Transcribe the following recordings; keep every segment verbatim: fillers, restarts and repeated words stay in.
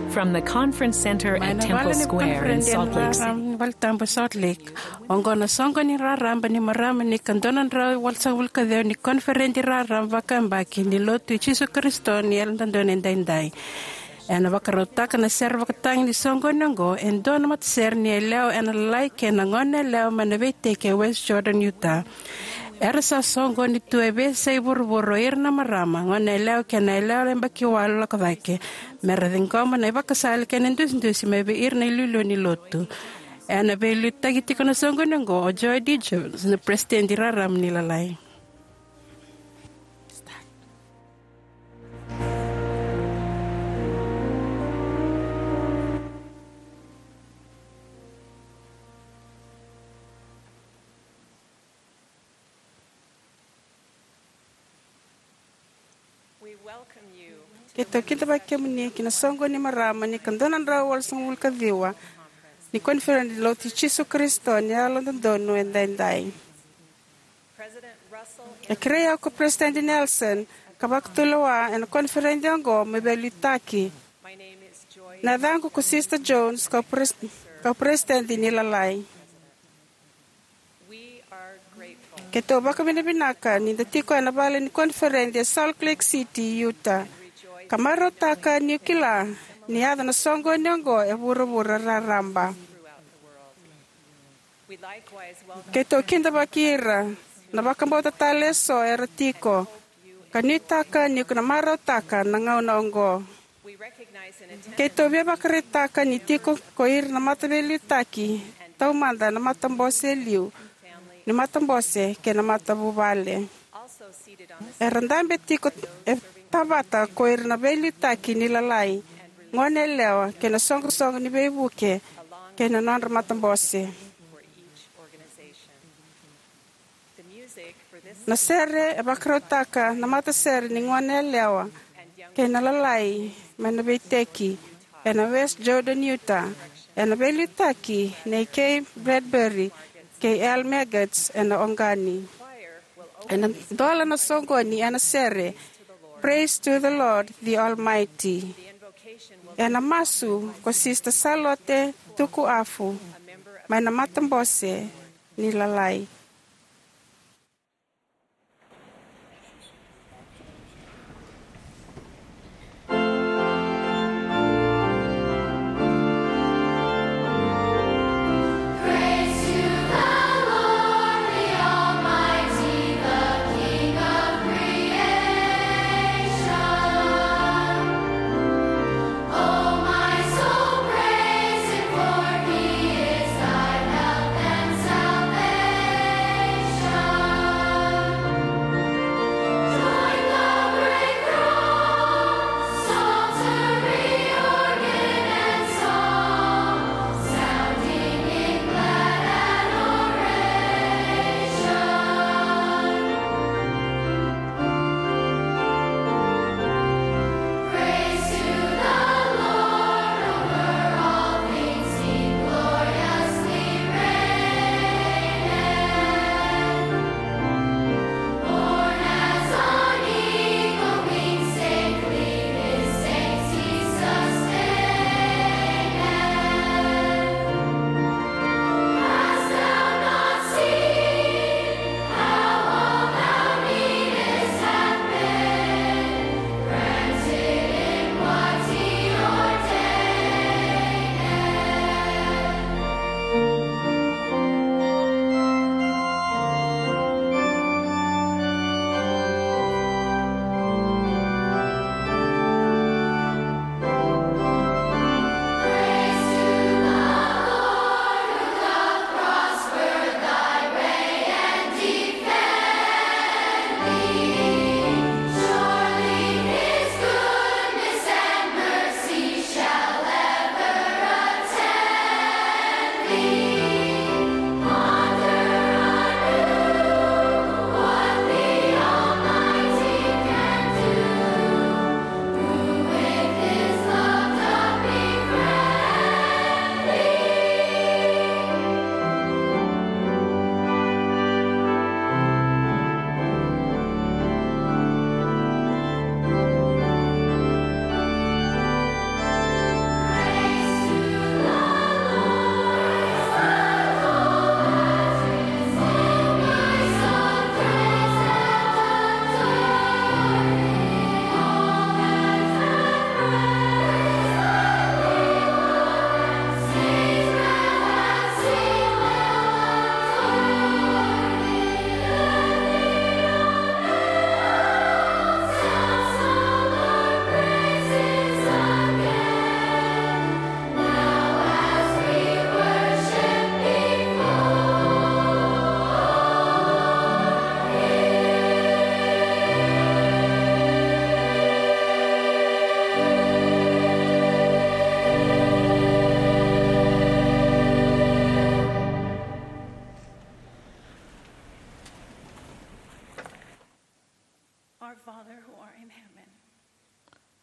From the Conference Center at Temple Square in Salt Lake City. Mai na vale ni koniferedi raraba ni valetabu Salt Lake. Oqo na soqoni raraba ni marama ni ika dua na drau walusagavulu ka ciwa ni koniferedi raraba vakayabaki ni Lotu i Jisu Karisito ni Yalododonu Edaidai. Ena vakarautaka na sere vakatagi ni soqoni oqo e dua na matasere ni yalewa ena Lalai kei na Goneyalewa mai na veiteki e West Jordan, Utah. Era sa soqoni tu e veiyasai vuravura o ira na marama, goneyalewa kei na yalewa yabaki walu lako cake, mera ciqoma na ivakasala kei na idusidusi mai vei ira na iliuliu ni Lotu. Ena veiliutaki tiko na soqoni oqo o Joy D. Jones, na Peresitedi Raraba ni Lalai. Keitou kidavaki kemuni ki na soqoni ni marama ni ika dua na drau walusagavulu ka ciwa ni koniferedi ni Lotu i Jisu Karisito ni Yalododonu Edaidai. E kerei au ko Peresitedi Nelson ka vakatulewa ena koniferedi oqo meu veiliutaki. Na yacaqu ko Sister Jones, kau pres-, kau Peresitedi ni Lalai. Keitou vakavinavinaka ni da tiko ena vale ni koniferedi e Salt Lake City, Utah, ka marautaka niu kila ni yaco na soqoni oqo e vuravura raraba. Keitou kidavaki ira na vakabauta tale eso era tiko, ka nuitaka ni ko na marautaka na gauna oqo. Keitou via vakaraitaka ni tiko ko ira na mataveiliutaki, taumada na matabose e liu ni matabose kei na matavuvale. Era dabe tiko e tavata ko ira na veiliutaki ni Lalai, goneyalewa kei na soqosoqo ni veivuke kei na nodra matabose. Na sere e vakarautaka na matasere ni Goneyalewa kei na Lalai mai na veiteki ena West Jordan, Utah, ena veiliutaki nei Kay Bradbury kei Al Megats ena oqani. Ena dola na soqoni ena sere Praise to the Lord the Almighty. Ena masu ko Sister Salote Tukuafu mai na matabose ni Lalai.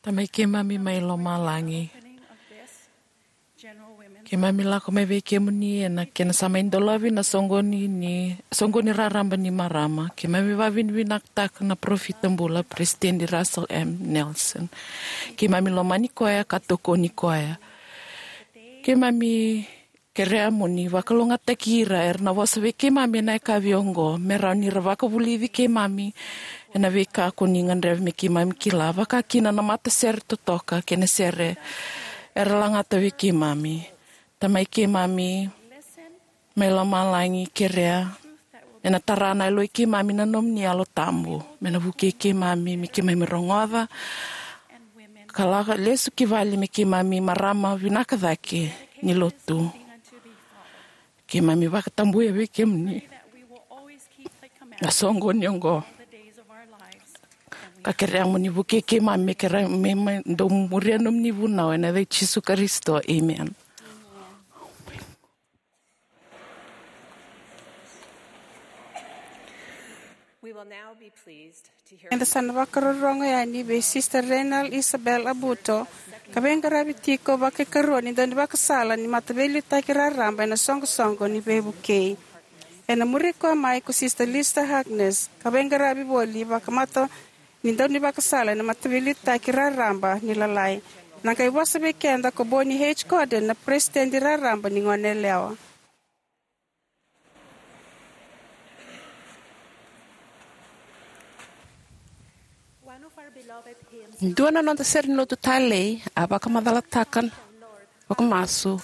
Tamai keimami mai lomalagi, keimami lako mai vei kemuni ena kena sa mai dolavi na soqoni ni, soqoni raraba ni marama. Keimami vavinavinakataka na parofita bula, Peresitedi Russell M. Nelson. Keimami lomani koya ka tokoni koya. Keimami kerea mo ni vakalougatataki ira era na vosa vei keimami ena yakavi oqo, me rawa ni ra vakavulici keimami ena veika ko ni gadreva me keimami kila, vaka kina na matasere totoka kei na sere era lagata vei keimami. Tamai keimami mai lomalagi, kerea ena tara na yaloi keimami na nomuni Yalo Tabu me na vukei keimami, me keimami rogoca ka lako lesu ki vale me keimami marama vinaka cake ni lotu. Keimami vakatabuya vei kemuni na soqoni oqo, ka kerea mo ni vukei keimami me keimami dau muria nomuni vunau, ena yaca i Jisu Karisito, emeni. We will now be pleased to hear Eda sa na vakarorogo yani vei Sister Renal Isabel Abuto, ka veiqaravi tiko vakaikarua ni daunivakasala ni Mataveiliutaki Raraba ena Soqosoqo ni Veivukei. Ena muri koya mai ko Sister Lisa Harkness, ka veiqaravi voli vakamata ni daunivakasala ena Mataveiliutaki Raraba ni Lalai. Na qai vosa vei keda ko Bonnie H. Cordon, na Peresitedi Raraba ni Goneyalewa. Dua na noda sere ni lotu talei a vakamacalataka, vakamasu,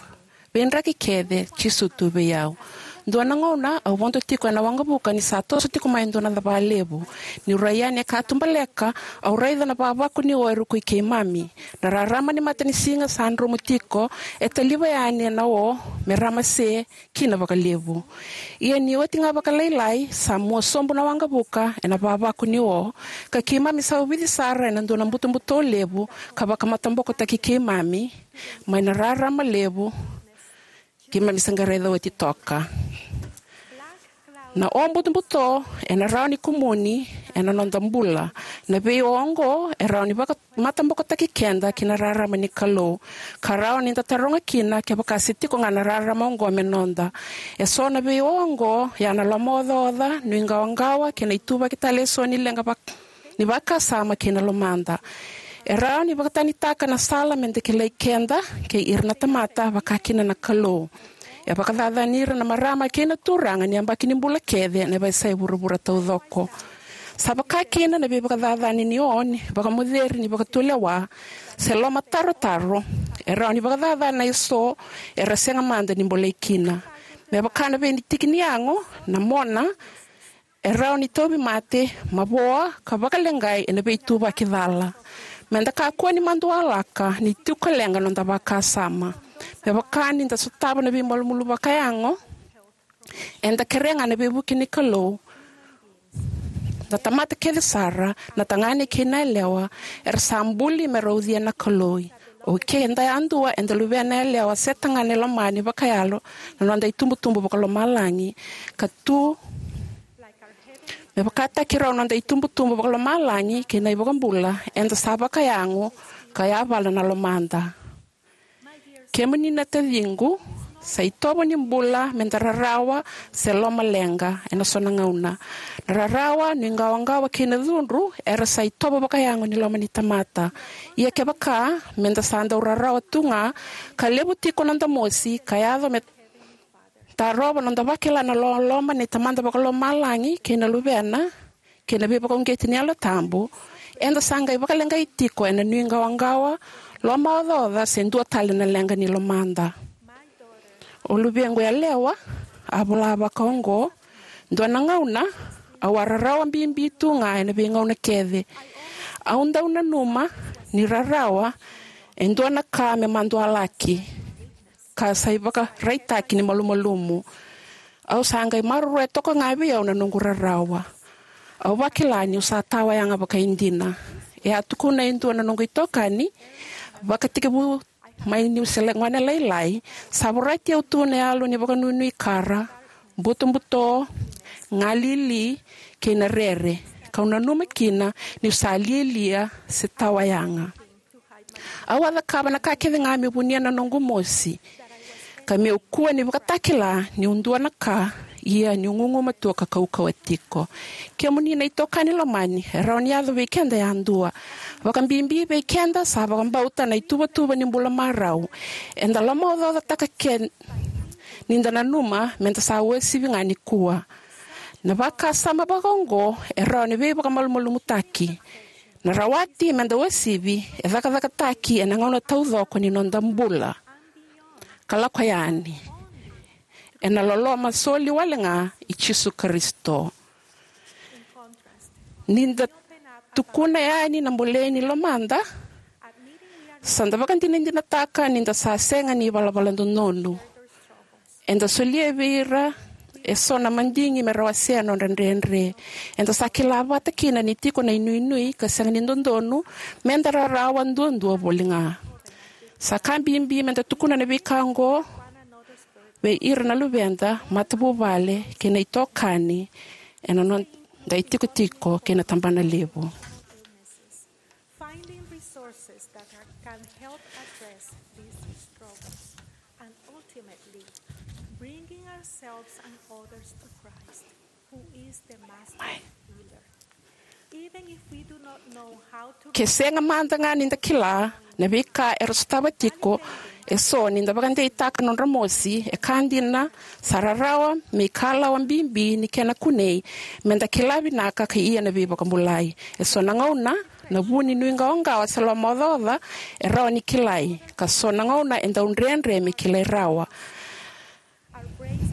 veidraki kece, Jisu tu vei au. Dua na gauna au vodo tiko ena waqavuka ni sa toso tiko mai e dua na cava levu. Niu rai yani e katubaleka, au raica na vavaku ni o e rukui keimami. Na rarama ni matanisiga sa dromu tiko e taliva yani ena o me ramase kina vakalevu. Ia ni oti ga vakalailai, sa mua sobu na waqavuka ena vavaku ni o, ka keimami sa uvici sara ena dua na butobuto levu ka vakamatabokotaki keimami mai na rarama levu keimami sa qai raica oti toka. Na o butobuto ena rawa ni kumuni ena noda bula. Na vei o oqo e rawa ni vaka matabokotaki keda ki na rarama ni Kalou, ka rawa ni da taroga kina kevaka se tiko ga na rarama oqo me noda. E so na vei o oqo, ia na lomaocaoca, nuiqawaqawa, kei na ituvaki tale e so ni leqa vak-, ni vakasama kei na lomada. E rawa ni vakatanitaka na sala me da kilai keda kei ira na tamata, vaka kina na Kalou. E vakacacani ira na marama kei na turaga ni yabaki ni bula kece ena veiyasai vuravura taucoko. Sa vaka kina na veivakacacani ni o ni vakamoceri ni vakatulewa se lomatarotaro, e rawa ni vakacacana e so era sega mada ni bolei kina. Me vaka na vei ni tiki ni yago, na mona, e rawa ni tauvimate, mavoa, ka vakaleqai ena veituvaki cala. Me da kakua ni madualaka ni tiko leqa noda vakasama. Me vaka ni da sotava na veimalumalumu vakayago, eda kerea ga na veivuke ni Kalou. Na tamata kece sara, na tagane kei na yalewa, era sa buli me ra ucuya na Kalou. O keda yadua eda luvena yalewa se tagane lomani vakayalo na noda itubutubu vakalomalagi, ka tu me vakataki rau na noda itubutubu vakalomalagi kei na iVakabula, eda sa vakayago ka yavala na lomada. Kemuni na taciqu, sa itovo ni bula me da rarawa se lomaleqa ena so na gauna. Na rarawa, nuiqawaqawa kei na cudru era sa itovo vakayago ni loma ni tamata. Ia kevaka me da sa dau rarawa tu ga, ka levu tiko noda mosi, ka yaco me tarova noda vakila na loloma ni Tamada Vakalomalagi kei na Luvena, kei na veivakauqeti ni Yalo Tabu, eda sa qai vakaleqai tiko ena nuiqawaqawa, lomaocaoca se dua tale na leqa ni lomada. O luvequ yalewa a vola vakaoqo: Dua na gauna au a rarawa bibi tu ga ena veigauna kece. Au dau nanuma ni rarawa e dua na ka me madualaki ka sa ivakaraitaki ni malumalumu. Au sa qai maroroya toka ga vei au na noqu rarawa. Au vakila niu sa tawa yaga vakaidina. E a tukuna e dua na noqu itokani vakatekivu mai niu se gone lailai, sa vorati au tu na yalo ni vakanuinui kara, butobuto, galili, kei na rere, kau nanuma kina niu sa lialia se tawa yaga. Au a cakava na ka kece ga meu vunia na noqu mosi, ka meu kua ni vakatakila niu dua na ka, ia niu gugumatua ka kaukauwa tiko. Kemuni na itokani lomani, e rawa ni yaco vei keda yadua. Vakabibi vei keda sa vakabauta na ituvatuva ni bula marau. Eda lomaocaocataka ke ni da nanuma meda sa uasivi ga nikua. Na vakasama vakaoqo e rawa ni veivakamalumalumutaki. Na rawati meda uasivi e cakacakataki ena gauna taucoko ni noda bula ka lako yani ena loloma soli wale ga i Jisu Karisito. Ni da tukuna yani na bolei ni lomada, sa da vakadinadinataka ni da sa sega ni valavala dodonu. Eda solia vei ira eso na madigi me ra wasea nodra dredre. Eda sa kila vata kina ni tiko na inuinui ka sega ni dodonu meda rarawa duadua voli ga. Sa ka bibi meda tukuna na veika oqo vei ira na luveda, matavuvale kei na itokani ena noda itikotiko kei na tabanalevu. Finding resources that are, can help address these struggles and ultimately bringing ourselves and others to Christ, who is the master healer. Even if we do not know how to Ke sega mada ga ni da kila na veika era sotava tiko eso ni da vakadeitaka nodra mosi, e ka dina sa rarawa me ikalawa bibi ni kena kunei meda kila vinaka ka ia na veivakabulai. Eso na gauna na vu ni nuiqawaqawa se lomaocaoca e rawa ni kilai, ka so na gauna e dau dredre me kilai rawa.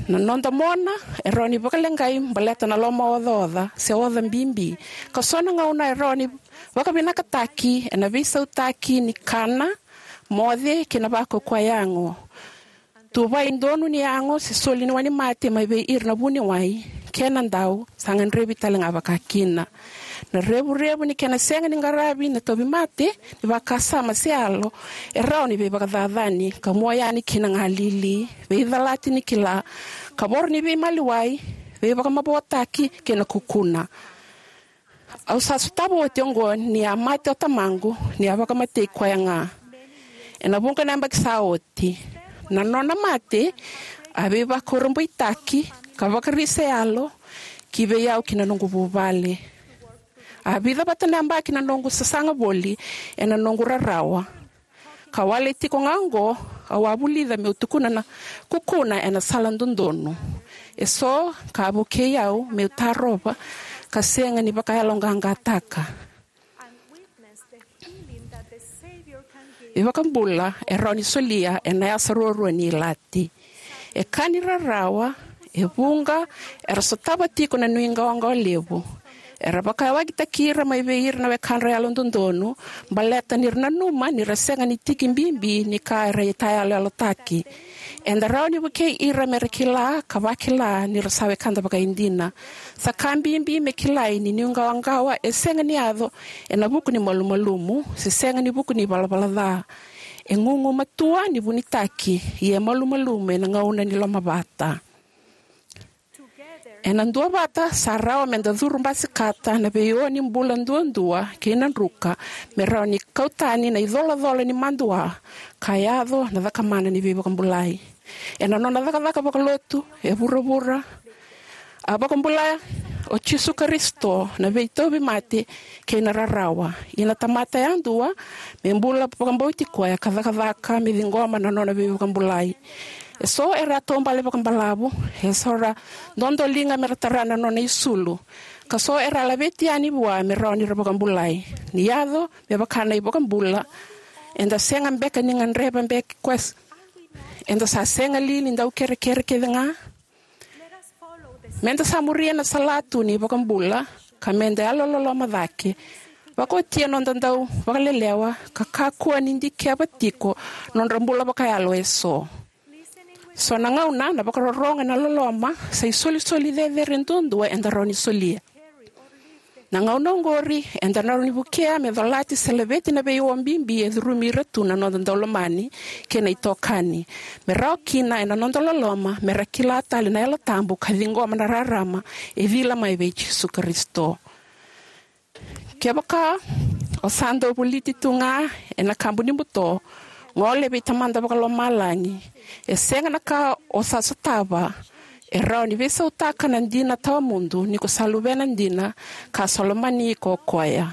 Na noda mona e rawa ni vakaleqai baleta na lomaocaoca se oca bibi, ka so na gauna e rawa ni vakavinakataki ena veisautaki ni kana, moce kei na vakaukauwa yago. Tuvai donu ni yago se soli ni wainimate mai vei ira na vuniwai, kena dau sa gadrevi tale ga vakakina. Na revurevu ni kena sega ni qaravi na tauvimate ni vakasama se yalo e rawa ni veivakacacani ka mua yani ki na galili, veicalati ni kila, kavoro ni veimaliwai, veivakamavoataki kei na kukuna. Au sa sotava oti oqo ni a mate o tamaqu, ni a vakamatei koya ga ena vuqa na yabaki sa oti. Na nona mate a veivakurabuitaki ka vakarisa yalo ki vei au kei na noqu vuvale. A vica vata na yabaki na noqu sasaga voli ena noqu rarawa. Ka wale tiko ga oqo, au a vulica meu tukuna na kukuna ena sala dodonu. Eso ka vukei au meu tarova ka sega ni vakayaloqaqataka. Veivakabula e rawa ni solia ena yasa ruarua ni ilati. E ka ni rarawa, e vuqa era sotava tiko na nuiqawaqawa levu. Era vakayawakitaki ira mai vei ira na wekadra yalododonu baleta ni ra nanuma ni ra sega ni tiki bibi ni ka era itayaloyalotaki. Eda rawa ni vukei ira me ra kila ka vakila ni ra sa wekada vakaidina. Sa ka bibi me kilai ni nuiqawaqawa e sega ni yaco ena vuku ni malumalumu se sega ni vuku ni valavala ca. E gugumatua ni vunitaki, ia e malumalumu ena gauna ni lomavata. Ena duavata sa rawa meda curu basikata na veio ni bula duadua kei na druka me rawa ni kau tani na icolacola ni madua ka yaco na cakamana ni veivakabulai. Ena nona cakacaka vakalotu e vuravura, a vakabula o Jisu Karisito na veitauvimate kei na rarawa. Ia na tamata yadua me bula vakabauti koya ka cakacaka me ciqoma na nona veivakabulai. Eso era a taubale vakabalavu, eso ra dodoliga me ra tara na nona isulu, ka so era laveti yani vua me rawa ni ra vakabulai. Ni yaco me vaka na iVakabula, eda sega beka ni gadreva beka koya, eda sa sega li ni dau kerekere kece ga? Meda sa muria na salatu ni iVakabula ka meda yalololoma cake. Vakaotia noda dau vakalelewa ka kakua ni dikeva tiko nodra bula vakayalo eso. So na gauna na vakarorogo ena loloma sa isolisoli cecere duadua eda rawa ni solia. Na gauna oqori eda rawa ni vukea me colati se laveti na veio bibi e curumi ira tu na noda daulomani kei na itokani, me rawa kina ena noda loloma me ra kila tale na Yalo Tabu ka ciqoma na rarama e cila mai vei Jisu Karisito. Kevaka O sa dau voliti tu ga ena kabu ni buto, gole vei Tamada Vakalomalagi. E sega na ka o sa sotava e rawa ni veisautaka na dina tawamudu ni ko sa luvena dina ka sa lomani iko o koya.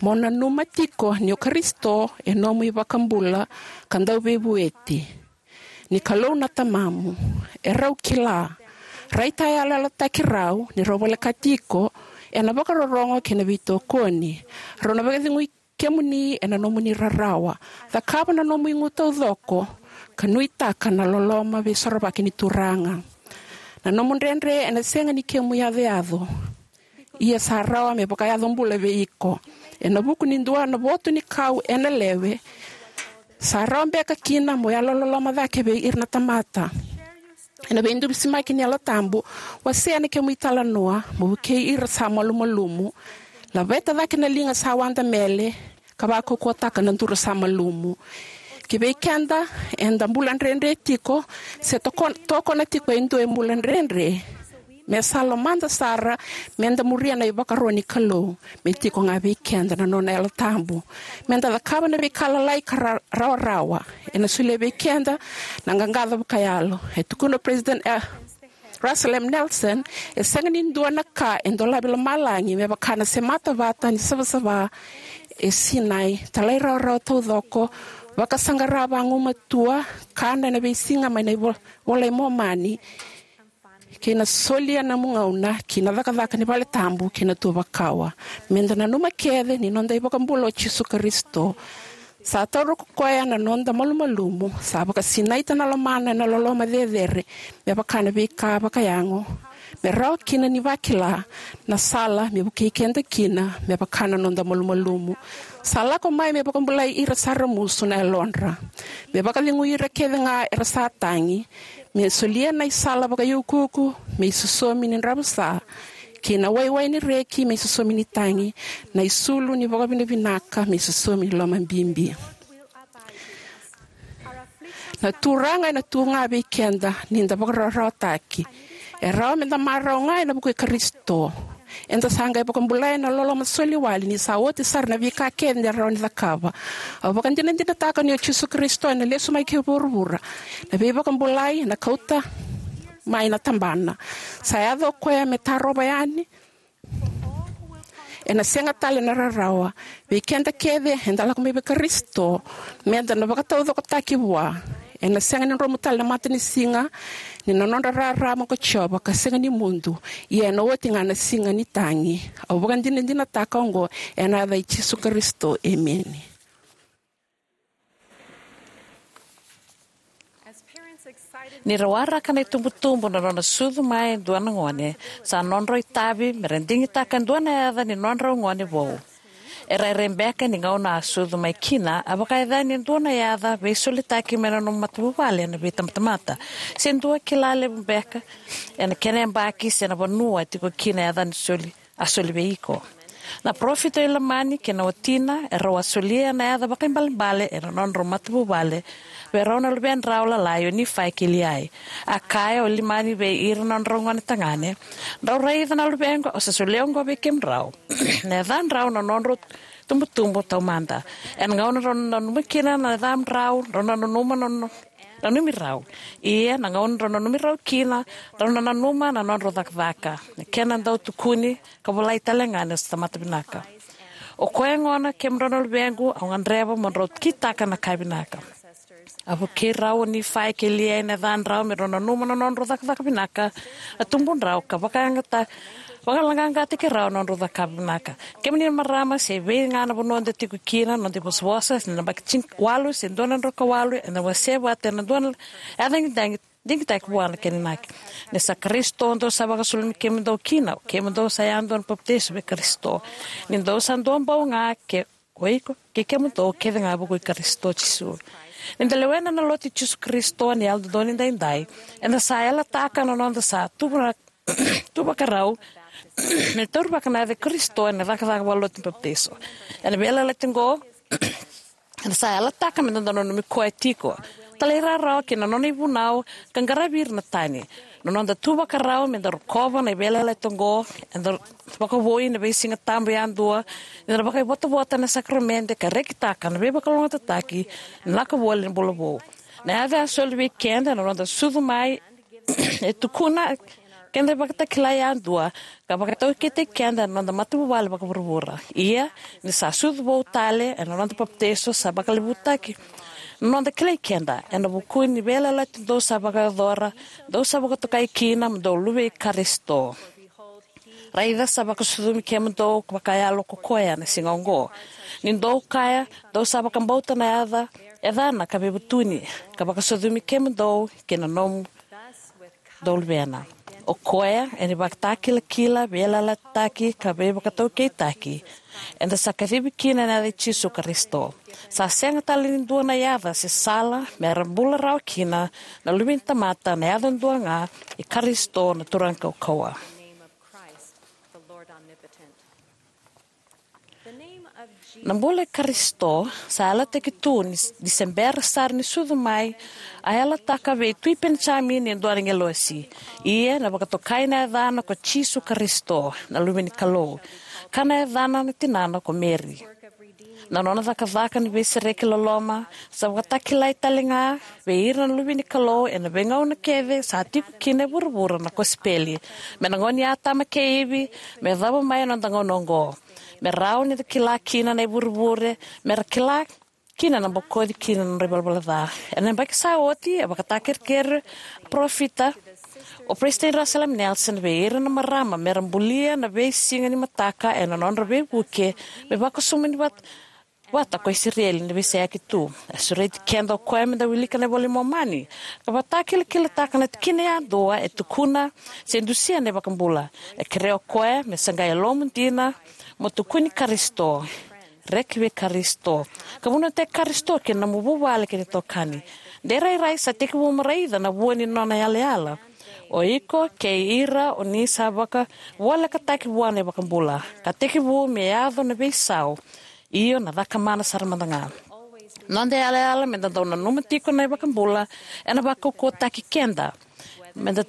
Mo nanuma tiko ni o Karisito e nomu iVakabula ka Dauveivueti. Ni Kalou na Tamamu. E rau kila. Raitayaloyalotaki rau ni rau volekati iko ena vakarorogo kei na veitokoni. Rau na vakacegui kemuni ena nomuni rarawa. Cakava na nomu igu taucoko ka nuitaka na loloma veisorovaki ni Turaga. Na nomu dredre ena sega ni kemu iyacoyaco, ia sa rawa me vakayaco bula vei iko. Ena vuku ni dua na votu ni kau ena lewe, sa rawa beka kina mo yalololoma cake vei ira na tamata. Ena veidusimaki ni Yalo Tabu, wasea na kemu italanoa, mo vukei ira sa malumalumu. Laveta cake na liga sa wadamele ka vakaukauwataka na duru sa malumu. Ki vei keda eda bula dredre tiko se toko-, tokona tiko e dua e bula dredre, me sa lomada sara meda muria na ivakaro ni Kalou, me tiko ga vei keda na nona Yalo Tabu. Meda cakava na veika lalai ka ra-, rawarawa ena solia vei keda na qaqaco vakayalo. E tukuna o President, eh, Russell M Nelson, e sega ni dua na ka e dolavi lomalagi me vaka na semata vata ni savasava e Sinai. Talairawarawa taucoko, vakasaqara vagumatua, kana ena veisiga mai na ivo-, iVola i Momani, kei na solia na nomu gauna ki na cakacaka ni vale tabu kei na tuva kawa. Meda nanuma kece ni noda iVakabula o Jisu Karisito. Sa taura ko koya na noda malumalumu, sa vakasinaita na lomana ena loloma cecere, me vaka na veika vakayago, me rawa kina ni vakila na sala me vukei keda kina me vaka na noda malumalumu. Sa lako mai me vakabulai ira sa ramusu na yalodra, me vakacegui ira kece ga era sa tagi, me solia na isala vakaiukuuku me isosomi ni dravusa, kei na waiwai ni reki me isosomi ni tagi, na isulu ni vakavinavinaka me isosomi ni lomabibi. Na Turaga ena tu ga vei keda ni da vakarawarawataki. E rawa meda marau ga ena vuku i Karisito. Eda sa qai vakabulai ena loloma soli wale ni sa oti sara na veika kece eda rawa ni cakava. Au vakadinadinataka ni o Jisu Karisito ena lesu mai ki vuravura, na veivakabulai ena kauta mai na tabana. Sa yaco o koya me tarova yani. Ena sega tale na rarawa. Vei keda kece eda lako mai vei Karisito, meda na vakataucokotaki vua. Ena sega ni dromu tale na matanisiga ni na nodra rarama ko Jiova ka sega ni mudu, ia ena oti ga na siga ni tagi. Au vakadinadinataka oqo ena yaca i Jisu Karisito, emeni. Ni ra waraka na itubutubu na nona sucu mai e dua na gone, sa nodrau itavi me ra digitaka e dua na yaca ni nodrau gone vou. Era rairai beka ni gauna a sucu mai kina, a vakayacani e dua na yaca veisolitaki mai na nomu matavuvale ena veitabatamata, se dua kila levu beka ena kena yabaki se na vanua e tiko kina na yaca ni soli a soli vei iko. Na parofita o Ilamani kei na watina, erau a solia na yaca vakaibalebale ena nodrau matavuvale vei rau na luvedrau lalai o Nifai kei Liai. A kaya o Ilamani vei ira na nodrau gone tagane, drau raica na luvequ, au sa solia oqo vei kemudrau. Na yacadrau na nodrau tubutubu taumada. Ena gauna drau nanuma kina na yacamudrau, drau nanuma na no-, nanumi rau. Ia na gauna drau nanumi rau kina, drau na nanuma na nodrau cakacaka, na kena dau tukuni ka volai tale ga ni sa tamata vinaka. O koya gona, kemudrau na luvequ, au gadreva mo drau kitaka na ka vinaka. A vukei rau o Nifai kei Liai na yacadrau me drau nanuma na nodrau cakacaka vinaka, a tubudrau ka vakayagata, vakalaqaqataki rau na nodrau cakava vinaka. Kemuni na marama, se vei ga na vanua da tiko kina, noda ivosavosa, se na yabaki tini walu se dua na drau ka walu, eda wasea vata ena dua na yaca ni dagi, digitaki vua na kena inaki. Ni sa Karisito dou sa vakasulumi kemudou kina, o kemudou sa yadua na papitaiso vei Karisito. Ni dou sa dua bau ga, ke o iko kei kemudou kece ga vukui Karisito Jisu. Ni da lewena na lotu i Jisu Karisito ni Yalododonu Edaidai, eda sa yalataka na noda sa tuva-, tuvakarau me taurivaka na yaca i Karisito ena cakacaka vakalotu ni papitaiso. Ena veiyalayalati oqo, eda sa yalataka me da dau nanumi koya tiko. talairawarawa ki na nona ivunau ka qaravi ira na tani. Na noda tu vakarau me da rokova na veiyalayalati oqo eda vakavoui ena veisiga tabu yadua, eda na vakaivotavota ena sakaramede ka rekitaka na veivakalougatataki, na lako voli ena bula vou. Na yaca a soli vei keda ena noda sucu mai e tukuna keda ivakatakila yadua ka vakataukeitaki keda ena noda matavuvale vakavuravura. Ia, ni sa sucu vou tale ena noda papitaiso, sa vakalevutaki na noda kilai keda ena vuku ni veiyalayalati dou sa vakayacora, dou sa vakatokai kina mo dou luve i Karisito. Raica, sa vakasucumi kemudou vakayalo ko koya na siga oqo, ni dou kaya dou sa vakabauta na yaca, yacana ka veivutuni, ka vakasucumi kemudou kei na nomudou luvena. O koya ena ivakatakilakila, veiyalayalataki ka veivakataukeitaki eda sa kacivi kina ena yaca i Jisu Karisito. Sa sega tale ni dua na yaca se sala me ra bula rawa kina na luve ni tamata, na yaca dua ga i Karisito na Turaga Kaukauwa. Na bula i Karisito sa yalataki tu ni, ni se bera sara ni sucu mai, a yalataka vei Tui Penijamini e dua na agilosi. Ia na vakatokai na yacana ko Jisu Karisito, na Luve ni Kalou, ka na yacana na tinana ko Meri. Na nona cakacaka ni veisereki loloma sa vakatakilai tale ga vei ira na luve ni Kalou ena veigauna kece sa tiko kina e vuravura na kosipeli, me na gauna i Atama kei Ivi me yacova mai ena noda gauna oqo. Me rawa ni da kila kina na ivurevure, me ra kila kina na bokoci kina na nodra ivalavala ca. Ena yabaki sa oti, a vakatakerekere parofita o Peresitedi Russell M. Nelson vei ira na marama me ra bulia na veisiga ni mataka ena nodra veivuke me vakasumuni vata, vata ko Isireli ni veiseyaki tu. A sureti keda o koya me da wilika na iVola i Momani ka vakatakilakilataka na tikina yadua e tukuna se dusia na iVakabula. E kerea o koya me sagai yalomu dina mo tukuni Karisito, reki vei Karisito, ka vunautaki Karisito ki na nomu vuvale kei na itokani. De rairai sa tekivu mo raica na vua ni nona yalayala. O iko kei ira o ni sa vakavolekataki vua na iVakabula, ka tekivu me yaco na veisau, io, na cakamana sara mada ga. Noda yalayala me da dau nanuma tiko na iVakabula ena vakaukauwataki keda me da,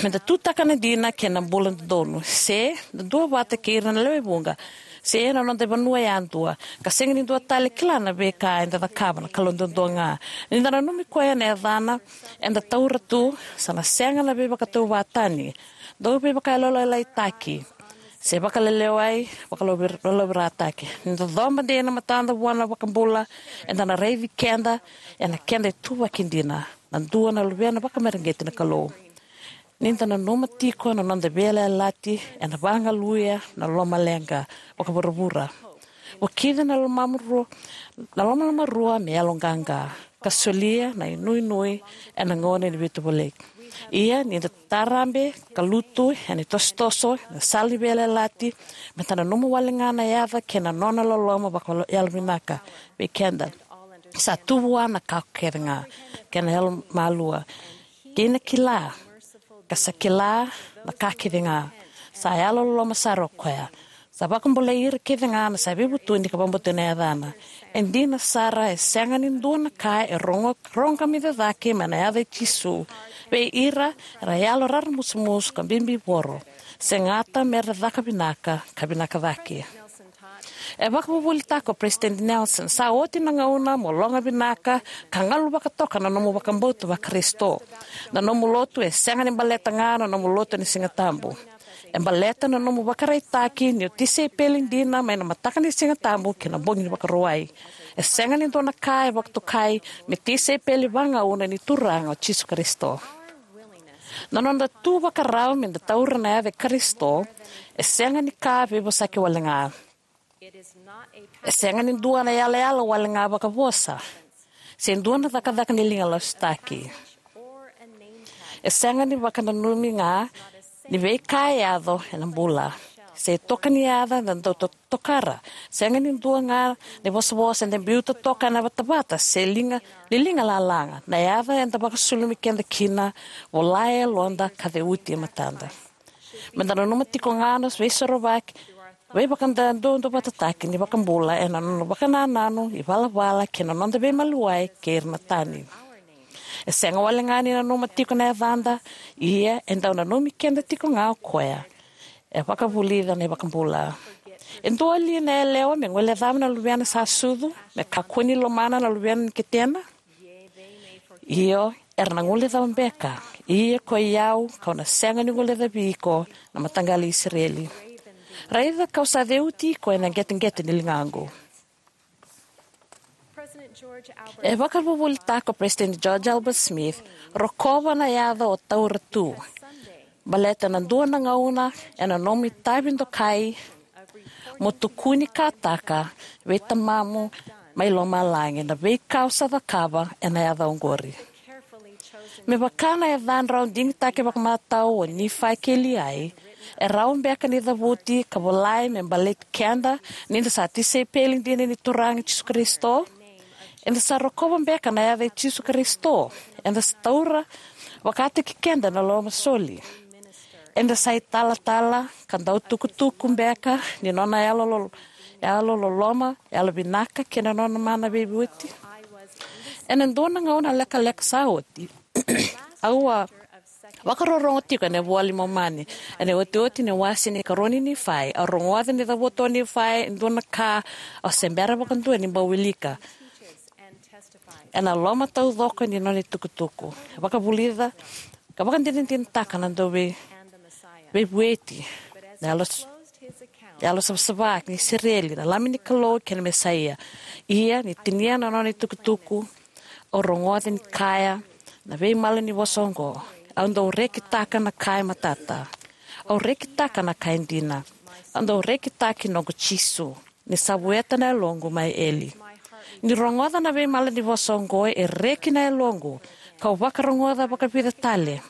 me da tutaka na dina kei na bula dodonu, se da duavata kei ira na lewe vuqa, se ena noda vanua yadua, ka sega ni dua tale kila na veika eda cakava, na Kalou duadua ga. Ni da nanumi koya ena yacana eda taura tu, sa na sega na veivakatauvatani, dau veivakayalolailaitaki, se vakalelewai, vakalauvi-, vakalauvirataki. Ni da coba dei na matada vua na iVakabula, eda na raici keda ena keda ituvaki dina, na dua na luvena vakamareqeti na Kalou. Ni da nanuma tiko na noda veiyalayalati, ena vagaluya na lomaleqa vakavuravura. Vukica na lomamu rua, na lomaloma rua me yaloqaqa, ka solia na inuinui ena gauna ni veitovolei. Ia, ni da tarabe ka lutu ena itosotoso, na sala ni veiyalayalati, me da nanuma wale ga na yaca kei na nona loloma vakayalovinaka vei keda. Sa tu vua na ka kece ga, kei na yalomalua, kei na kila, ka sa kila na ka kece ga. Sa yalololoma sara o koya. Sa vakabulai ira kece ga na sa veivutuni ka vakabauta na yacana. E dina sara, e sega ni dua na ka e rogo-, rogoca me cake mai na yaca i Jisu vei ira era yalo raramusumusu ka bibivoro, se gata me ra caka vinaka ka vinaka cake. E vakavuvulitaka o Peresitedi Nelson, sa oti na gauna mo loga vinaka ka galu vakatoka na nomu vakabauta vaKarisito. Na nomu lotu e sega ni baleta ga na nomu lotu ena Siga Tabu. E baleta na nomu vakaraitaki ni o tisaipeli dina mai na mataka ni Siga Tabu ki na bogi ni Vakarauwai. E sega ni dua na ka e vakatokai me tisaipeli vagauna ni Turaga o Jisu Karisito. Na noda tu vakarau me da taura na yaca i Karisito e sega ni ka veivosaki wale ga. E sega ni dua na yalayala wale ga vakavosa, se dua na cakacaka ni liga lasutaki. E sega ni vakananumi ga ni veika e yaco ena bula, se toka ni yaca da dau to-, tokara. Sega ni dua ga na ivosavosa eda biuta toka ena vatavata, se liga, ni liga lalaga. Na yaca eda vakasulumi keda kina, vola e yaloda ka ceuti e matada. Me da nanuma tiko ga na veisorovaki, veivakaduavatataki ni iVakabula ena nona vakanananu, ivalavala kei na noda veimaliwai kei ira na tani. E sega wale ga ni nanuma tiko na yacada, ia e dau nanumi keda tiko ga o koya. E vakavulica na iVakabula. E dua li na yalewa me guilecava na luvena sa sucu, me kakua ni lomana na luvena ni ketena? Io, era na guilecava beka. Ia koi au, kau na sega ni guilecavi iko, na mataqali Isireli. Raica kau sa ceuti iko ena qeteqete ni ligaqu. E vakavuvulitaka o President George Albert Smith, rokova na yaca o taura tu. Baleta na dua na gauna ena nomu itavi dokai, mo tukuni kataka vei tamamu mai lomalagi na veika o sa cakava ena yaca oqori. Me vaka na yacadrau digitaki vakamatau o Nifai kei Liai, e rawa beka ni cavuti ka volai me baleti keda ni da sa tisaipeli dina ni Turaga Jisu Karisito? Eda sa rokova beka na yaca i Jisu Karisito? Eda sa taura vakataki keda na lomasoli? Eda sa italatala ka dau tukutuku beka ni nona yalo lo-, yalo loloma, yalo vinaka kei na nona mana veivueti? Ena dua na gauna lekaleka sa oti, au a vakarorogo tiko ena iVola i Momani, ena iotioti ni wase ni karua ni Nifai. Au rogoca ni cavuta o Nifai e dua na ka au se bera vakadua ni bau wilika. Ena loma taucoko ni nona itukutuku, vakavulica ka vakadinadinataka na dau vei-, veivueti, na yalo s-, yalo savasava ni Isireli, na Lami ni Kalou kei na Mesaia. Ia ni tinia na nona itukutuku, au rogoca ni kaya na veimalanivosa oqo: Au dau rekitaka na ka e matata. Au rekitaka na ka e dina. Au dau rekitaki noqu Jisu, ni sa vueta na yaloqu mai eli. Ni rogoca na veimalanivosa oqo, e reki na yaloqu, kau vakarogoca vakavica tale.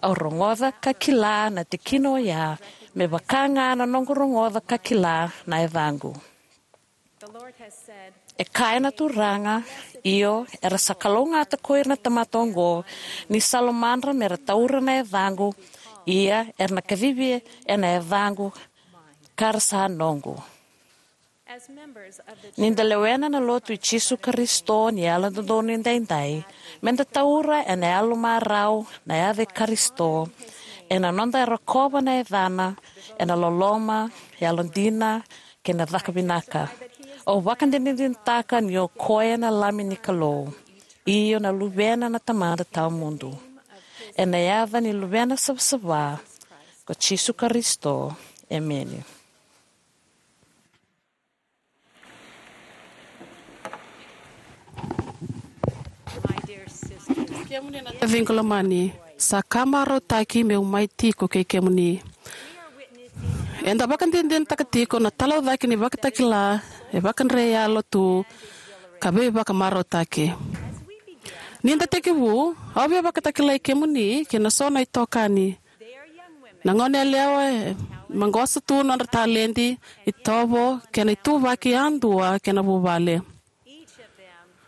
Au rogoca ka kila na tikina oya, me vaka ga na noqu rogoca ka kila na yacaqu. E kaya na Turaga: Io, era sa kalougata ko ira na tamata oqo, ni sa lomadra me ra taura na yacaqu, ia era na kacivi ena yacaqu, ka ra sa noqu. Ni da lewena na Lotu i Jisu Karisito ni Yalododonu Edaidai, me da taura ena yalomarau na yaca i Karisito, ena noda rokova na yacana ena loloma, yalodina, kei na caka vinaka. Au vakadinadinataka ni o koya na Lami ni Kalou, io na Luvena na Tamada Tawamudu. Ena yaca ni Luvena savasava, ko Jisu Karisito, emeni. Kemuni na taciqu lomani, sa ka marautaki meu mai tiko kei kemuni. Eda vakadinadinataka tiko na talaucaki ni vakatakila e vakadre yalo tu ka veivakamarautaki. Ni da tekivu, au via vakatakilai kemuni kei na so na itokani, na goneyalewa e maqosa tu nodra taledi, itovo, kei na ituvaki yadua kei na vuvale.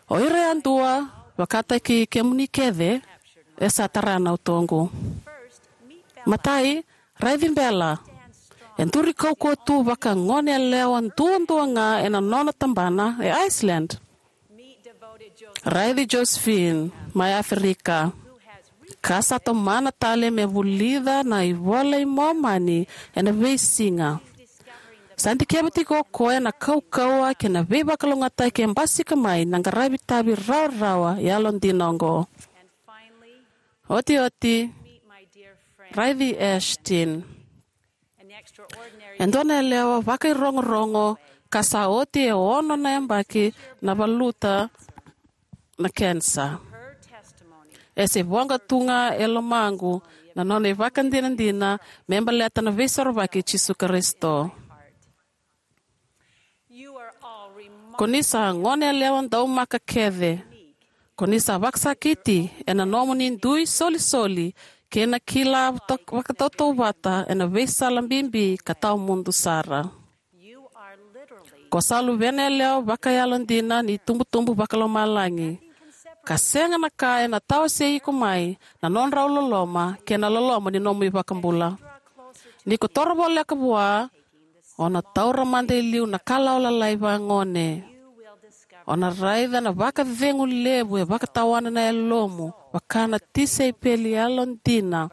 O ira yadua, vakataki kemuni kece, e sa tara na utoqu. Matai, raici Bela. E duri kaukauwa tu vaka goneyalewa duadua ga ena nona tabana e Iceland. Raici Josephine mai Aferika, ka sa tomana tale me vulica na iVola i Momani ena veisiga. Sa dikeva tiko o koya na kaukauwa kei na veivakalougatataki e basika mai na qaravi tavi rawarawa yalodina oqo. Otioti, raici Ashton. E dua na yalewa vakairogorogo ka sa oti e ono na yabaki na valuta na kenisa. E se voqa tu ga e lomaqu na nona ivakadinadina me baleta na Veisorovaki i Jisu Karisito. Ko ni sa goneyalewa daumaka kece. Ko ni sa vakasakiti ena nomuni dui solisoli kei na kila to-, vakatautauvata ena veisala bibi ka tawamudu sara. Ko sa luvena yalewa vakayalodina ni tubutubu vakalomalagi, ka sega na ka ena tawasei iko mai na nodrau loloma kei na loloma ni nomu iVakabula. Ni ko toro voleka vua, o na taura mada e liu na kalawa lalai vagone. O na raica na vakacegu levu e vakatawana na yalomu, vaka na tisaipeli yalodina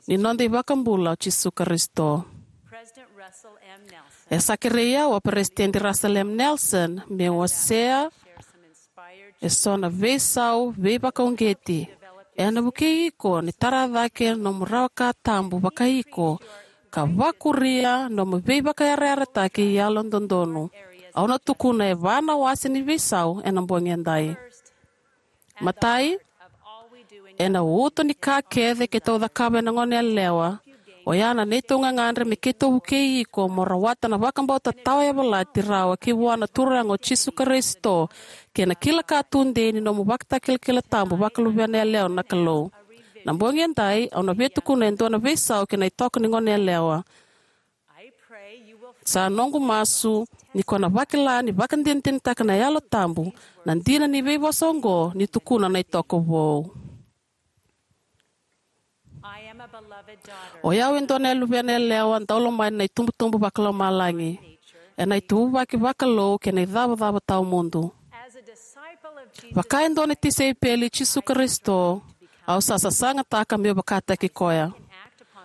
ni noda iVakabula o Jisu Karisito. E sa kerei au o Peresitedi Russell M. Nelson meu wasea eso na veisau veivakauqeti ena vukei iko ni tara cake nomu rawa ka tabu vakaiko ka vakuria nomu veivakayarayarataki yalododonu. Au na tukuna e va na wase ni veisau ena bogi edai. Matai, ena uto ni ka kece keitou cakava ena goneyalewa, oya na neitou gagadre me keitou vukei iko mo rawata na vakabauta tawayavalati rawa ki vua na Turaga o Jisu Karisito kei na kila ka tudei ni nomu ivakatakilakila tabu vakaluvena yalewa na Kalou. Na bogi edai au na via tukuna e dua na veisau kei na itoko ni goneyalewa. Sa noqu masu ni ko na vakila ni vakadinadinataka na Yalo Tabu na dina ni veivosa oqo ni tukuna na itoko vou. O yau e dua na luvena yalewa daulomani na itubutubu vakalomalagi, ena ituvaki vakalou kei na icavacava tawamudu. Vaka e dua na tisaipeli i Jisu Karisito, au sa sasagataka meu vakataki koya.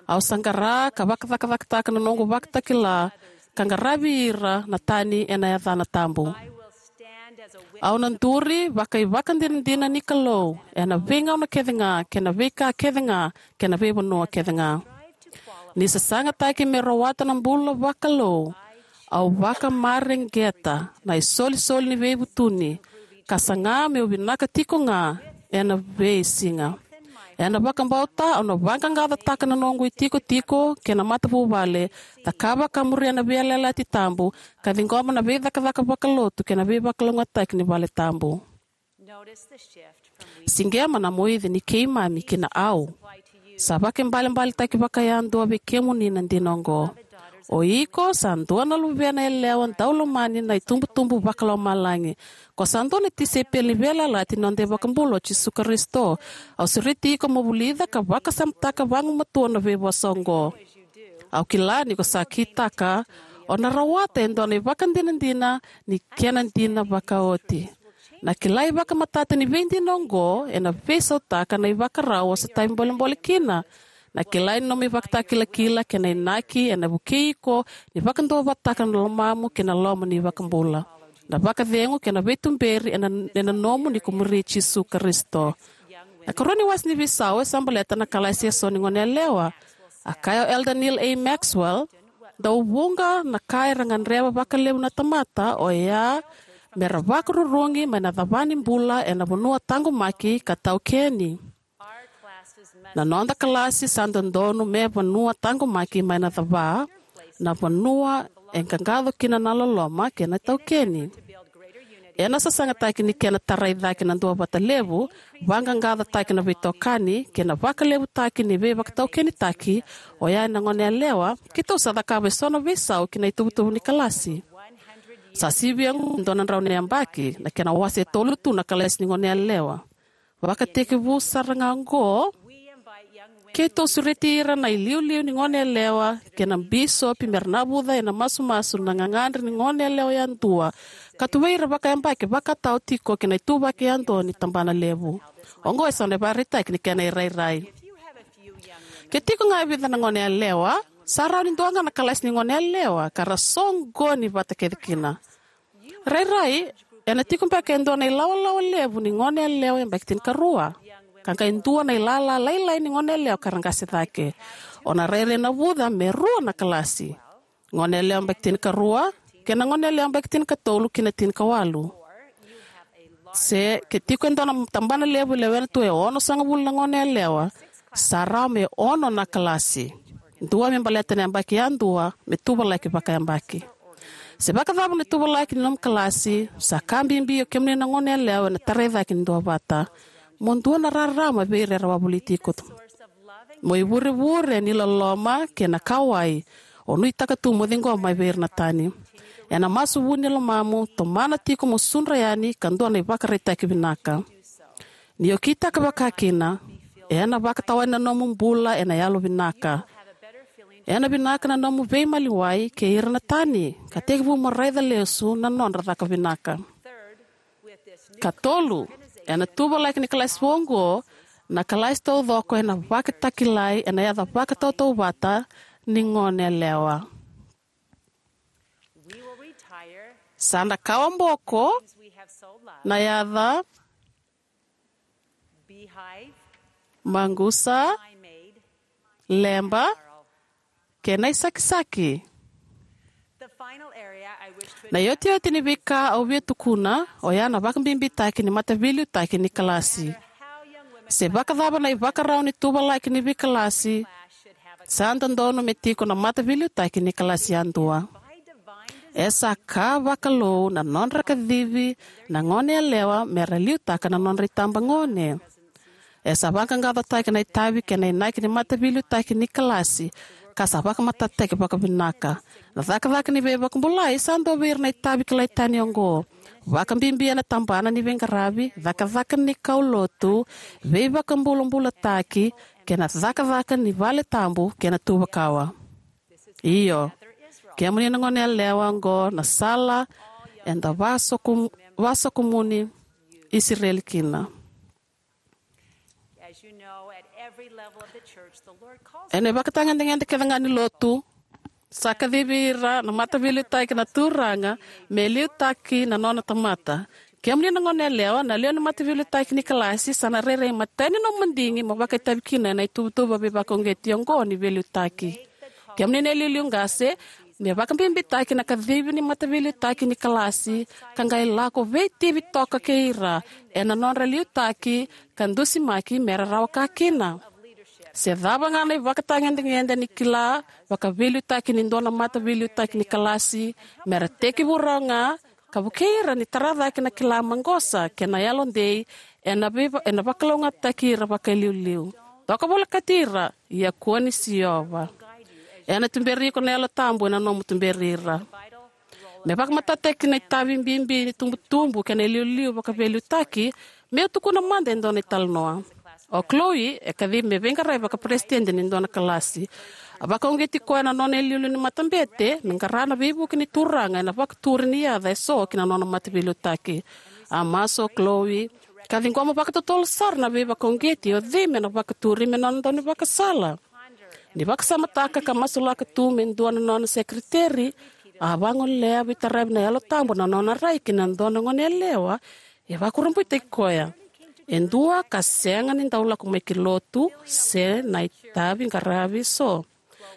Au sa qara ka vakacakacakataka na noqu ivakatakila ka qaravi ira na tani ena yacana tabu. Au na duri vakaivakadinadina ni Kalou ena veigauna kece ga kei na veika kece ga kei na veivanua kece ga. Ni sasagataki me rawata na bula vakalou, au vakamareqeta na isolisoli ni veivutuni ka saga meu vinaka tiko ga ena veisiga. Ena vakabauta au na vaqaqacotaka na noqu itikotiko kei na matavuvale, cakava ka muria na veiyalayalati tabu, ka ciqoma na veicakacaka vakalotu kei na veivakalougatataki ni vale tabu. Siqema na moici ni keimami ki na au. Sa vakaibalebaletaki vakayadua vei kemuni na dina oqo. O iko sa dua na luvena yalewa daulomani na itubutubu vakalomalagi. Ko sa dua na tisaipeli ni veiyalayalati ni noda iVakabula o Jisu Karisito. Au sureti iko mo vulica ka vakasamataka vagumatua na veivosa oqo. Au kila ni ko sa kitaka, o na rawata e dua na ivakadinadina ni kena dina vakaoti. Na kilai vakamatata ni veidina oqo ena veisautaka na ivakarau o sa tavi bolebole kina. Na kilai ni nomu ivakatakilakila kei na inaki ena vukei iko ni vakaduavatataka na lomamu kei na loma ni iVakabula. Na vakacegu kei na veituberi ena, ena nomu ni ko muri Jisu Karisito. Na ikarua ni wase ni veisau e sa baleta na kalasi eso ni goneyalewa. A kaya o Elder Neal A. Maxwell, dau vuqa na ka era gadreva vakalevu na tamata oya mera vakarurugi mai na cava ni bula ena vanua taqomaki ka taukeni. Na noda kalasi sa dodonu me vanua taqomaki mai na cava, na vanua e qaqaco kina na loloma kei na taukeni. Ena sasagataki ni kena tarai cake na duavata levu, vaqaqacotaki na veitokani kei na vakalevutaki ni veivakataukenitaki oya ena goneyalewa, keitou sa cakava eso na veisau ki na ituvatuva ni kalasi. Sa sivia oqo e dua na drau na yabaki, na kena wase e tolu tu na kalasi ni goneyalewa. Vakatekivu sara ga oqo, keitou sureti ira na iliuliu ni goneyalewa kei na bisopi mera navuca ena masumasu na gagadre ni goneyalewa yadua ka tuvai ira vakayabaki vakatau tiko ki na ituvaki yadua ni tabana levu. Oqo eso na ivakaraitaki ni kena irairai. Ke tiko ga e vica na goneyalewa, sa rawa ni dua ga na kalasi ni goneyalewa ka ra soqoni vata kece kina. Rairai, ena tiko beka e dua na ilawalawa levu ni goneyalewa yabaki tinikarua, ka qai dua na ilala lailai ni goneyalewa ka ra qase cake. O na rairai navuca me rua na kalasi, goneyalewa yabaki tinikarua kei na goneyalewa yabaki tinikatolu ki na tinikawalu. Se ke tiko e dua na tabana levu e lewena tu e onosagavulu na goneyalewa, sa rawa me ono na kalasi, dua me baleta na yabaki yadua me tuvalaki vakayabaki. Se vakacava na tuvalaki ni nomu kalasi, sa ka bibi o kemuni na goneyalewa ena tarai cake ni duavata. Mo dua na rarama vei ira era wavoliti iko. Mo ivurevure ni loloma kei na kauwai o nuitaka tu mo ciqoma mai vei ira na tani. Ena masu vu ni lomamu, tomana tiko mo sudra yani ka dua na ivakaraitaki vinaka. Ni o kitaka vakakina, ena vakatawani na nomu bula ena yalovinaka. Ena vinaka na nomu veimaliwai kei ira na tani ka tekivu mo raica lesu na nodra caka vinaka. Katolu, ena tuvalaki ni kalasi vou oqo, na kalasi taucoko ena vakatakilai ena yaca vakatautauvata ni goneyalewa. Sa na kawa boko na yaca maqusa, leba, kei na isakisaki. Na iotioti ni veika au via tukuna oya na vakabibitaki ni mataveiliutaki ni kalasi. Se vakacava na ivakarau ni tuvalaki ni veikalasi, sa dodonu me tiko na mataveiliutaki ni kalasi yadua. E sa ka vakalou na nodra kacivi na goneyalewa me ra liutaka na nodra itabagone. E sa vaqaqacotaki na itavi kei na inaki ni mataveiliutaki ni kalasi, ka sa vakamatatataki vakavinaka. Na cakacaka ni veivakabulai sa dua vei ira na itavi kilai tani oqo, vakabibi ena tabana ni veiqaravi, cakacaka ni kaulotu, veivakabulabulataki, kei na cakacaka ni vale tabu kei na tuvakawa. Io, kemuni na goneyalewa, oqo na sala eda vasoku, vasokumuni Isireli kina. Ena ivakatagedegede kece ga ni lotu, sa kacivi ira na mataveiliutaki na Turaga me liutaki na nona tamata. Kemuni na goneyalewa, na lewe ni mataveiliutaki ni kalasi sa na rairai matai ni nomu madigi mo vakaitavi kina ena ituvatuva veivakauqeti oqo ni veiliutaki. Kemuni na iliuliu qase, me vakabibitaki na kacivi ni mataveiliutaki ni kalasi, ka qai lako veitivi toka kei ira ena nodra liutaki ka dusimaki me ra rawa ka kina. Se cava ga na ivakatagedegede ni kila vakaveiliutaki ni dua na mataveiliutaki ni kalasi, me ra tekivu rawa ga ka vukei ira ni tara cake na kila maqosa kei na yalodei ena veiva-, ena vakalougatataki ira vakailiuliu. Toka volekati ira, ia kua ni siova. Ena tuberi iko na Yalo Tabu ena nomu tuberi ira. Me vakamatatataki na itavi bibi ni tubutubu kei na iliuliu vakaveiliutaki, meu tukuna mada e dua na italanoa. O Chloe e kacivi me veiqaravi vakaperesitedi ni dua na kalasi. A vakauqeti koya na nona iliuliu ni matabete me qara na veivuke ni Turaga ena vakaturi ni yaca eso ki na nona mataveiliutaki. A masu o Chloe ka ciqoma vakatotolo sara na veivakauqeti o cei me na vakaturi me nona daunivakasala. Ni vakasamataka ka masulaka tu me dua na nona sekeriteri, a vagolea veitaravi na Yalo Tabu na nona rai ki na dua na goneyalewa e vakurabuitaki koya. E dua ka sega ni dau lako mai ki lotu se na itavi qaravi eso.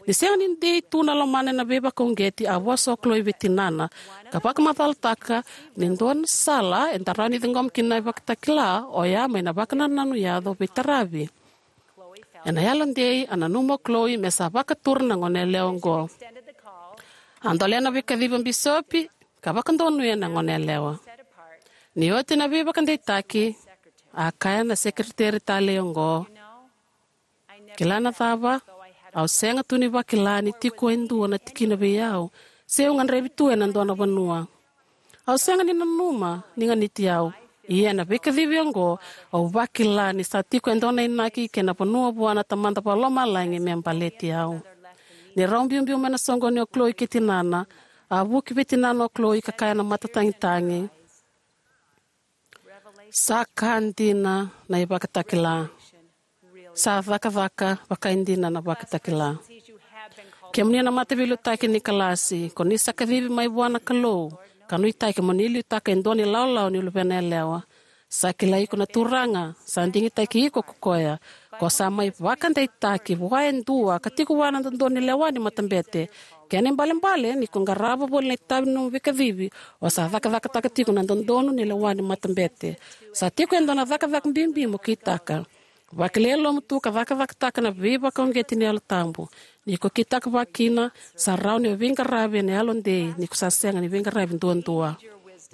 Ni sega ni dei tu na lomana ena veivakauqeti, a vosa o Chloe vei tinana ka vakamacalataka ni dua na sala eda rawa ni ciqoma kina na ivakatakila oya mai na vakanananu yaco veitaravi. Ena yalodei a nanuma o Chloe me sa vakatura na goneyalewa oqo. A dolea na veikacivi o bisopi ka vakadonuya na goneyalewa. Ni oti na veivakadeitaki, a kaya na sekeriteri talei oqo, kila na cava, au sega tu ni vakila ni tiko e dua na tikina vei au, se au gadrevi tu ena dua na vanua. Au sega ni nanuma ni ganiti au. Ia ena veikacivi oqo, au vakila ni sa tiko e dua na inaki kei na vanua vua na Tamada Vakalomalagi me baleti au. Ni rau biubiu mai na soqoni o Chloe kei tinana, a vuki vei tinana o Chloe ka kaya na matatagitagi, sa ka dina na ivakatakila. Sa cakacaka vakaidina na vakatakila. Kemuni na mataveiliutaki ni kalasi, ko ni sa kacivi mai vua na Kalou ka nuitaki mo ni liutaka e dua na ilawalawa ni luvena yalewa. Sa kilai iko na Turaga, sa digitaki iko ko koya. Ko sa mai vakadeitaki vua e dua ka tiko vua na dodonu ni lewa ni matabete. Kena ibalebale ni ko qarava voli na itavi ni nomu veikacivi, o sa cakacakataka tiko na dodonu ni lewa ni matabete. Sa tiko e dua na cakacaka bibi mo kitaka. Vakilai e lomamu tu ka cakacakataka na veivakauqeti ni Yalo Tabu. Ni ko kitaka vakakina, sa rawa ni o veiqaravi ena yalodei ni ko sa sega ni veiqaravi duadua.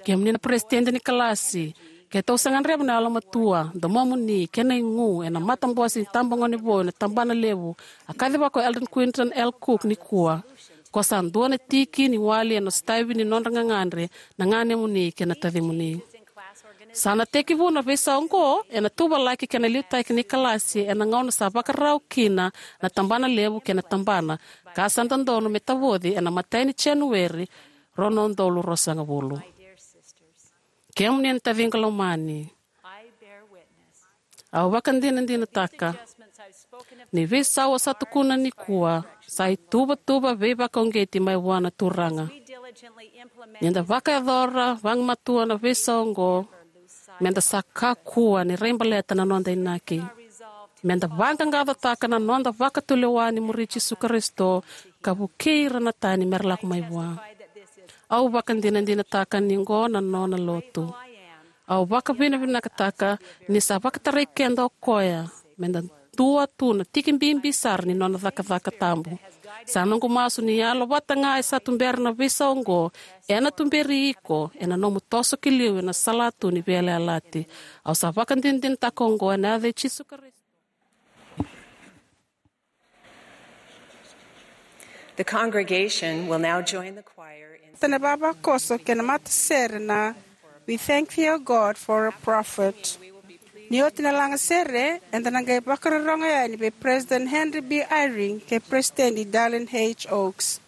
Kemuni na peresitedi ni kalasi, keitou sa gadreva na yalomatua, domomuni kei na igu ena matabose ni tabagone vou ena tabana levu a kacivaka o Eldon Quinton L. Cook nikua. Ko sa dua na tiki ni wali ena sotavi ni nodra gagadre na ganemuni kei na tacimuni. Sa na tekivu na veisau oqo ena tuvalaki kei na liutaki ni kalasi ena gauna sa vakarau kina na tabana levu kei na tabana, ka sa dodonu me tavoci ena imatai ni Janueri, rua na udolu ruasagavulu. Kemuni na taciqu lomani, au vakadinadinataka ni veisau au sa tukuna nikua sa ituvatuva veivakauqeti mai vua na Turaga. Ni da vakayacora vagumatua na veisau oqo, me da sa kakua ni raibaleta na noda inaki. Me da vaqaqacotaka na noda vakatulewa ni muri Jisu Karisito ka vukei ira na tani me ra lako mai vua. Au vakadinadinataka ni oqo na nona lotu. Au vakavinavinakataka ni sa vakatarai keda o koya me da dua tu na tiki bibi sara ni nona cakacaka tabu. Sa noqu masu ni yalo vata ga e sa tubera na veisau oqo, ena tuberi iko ena nomu toso ki liu ena salatu ni veiyalayalati. Au sa vakadinadinataka oqo ena yaca i Jisu Karisito. The congregation will now join the choir in Tana vavakoso kei na matasere na We Thank Thee, O God, for a Prophet. Ni oti na lagasere, eda na qai vakarorogo yani vei President Henry B. Eyring kei President Dallin H. Oaks.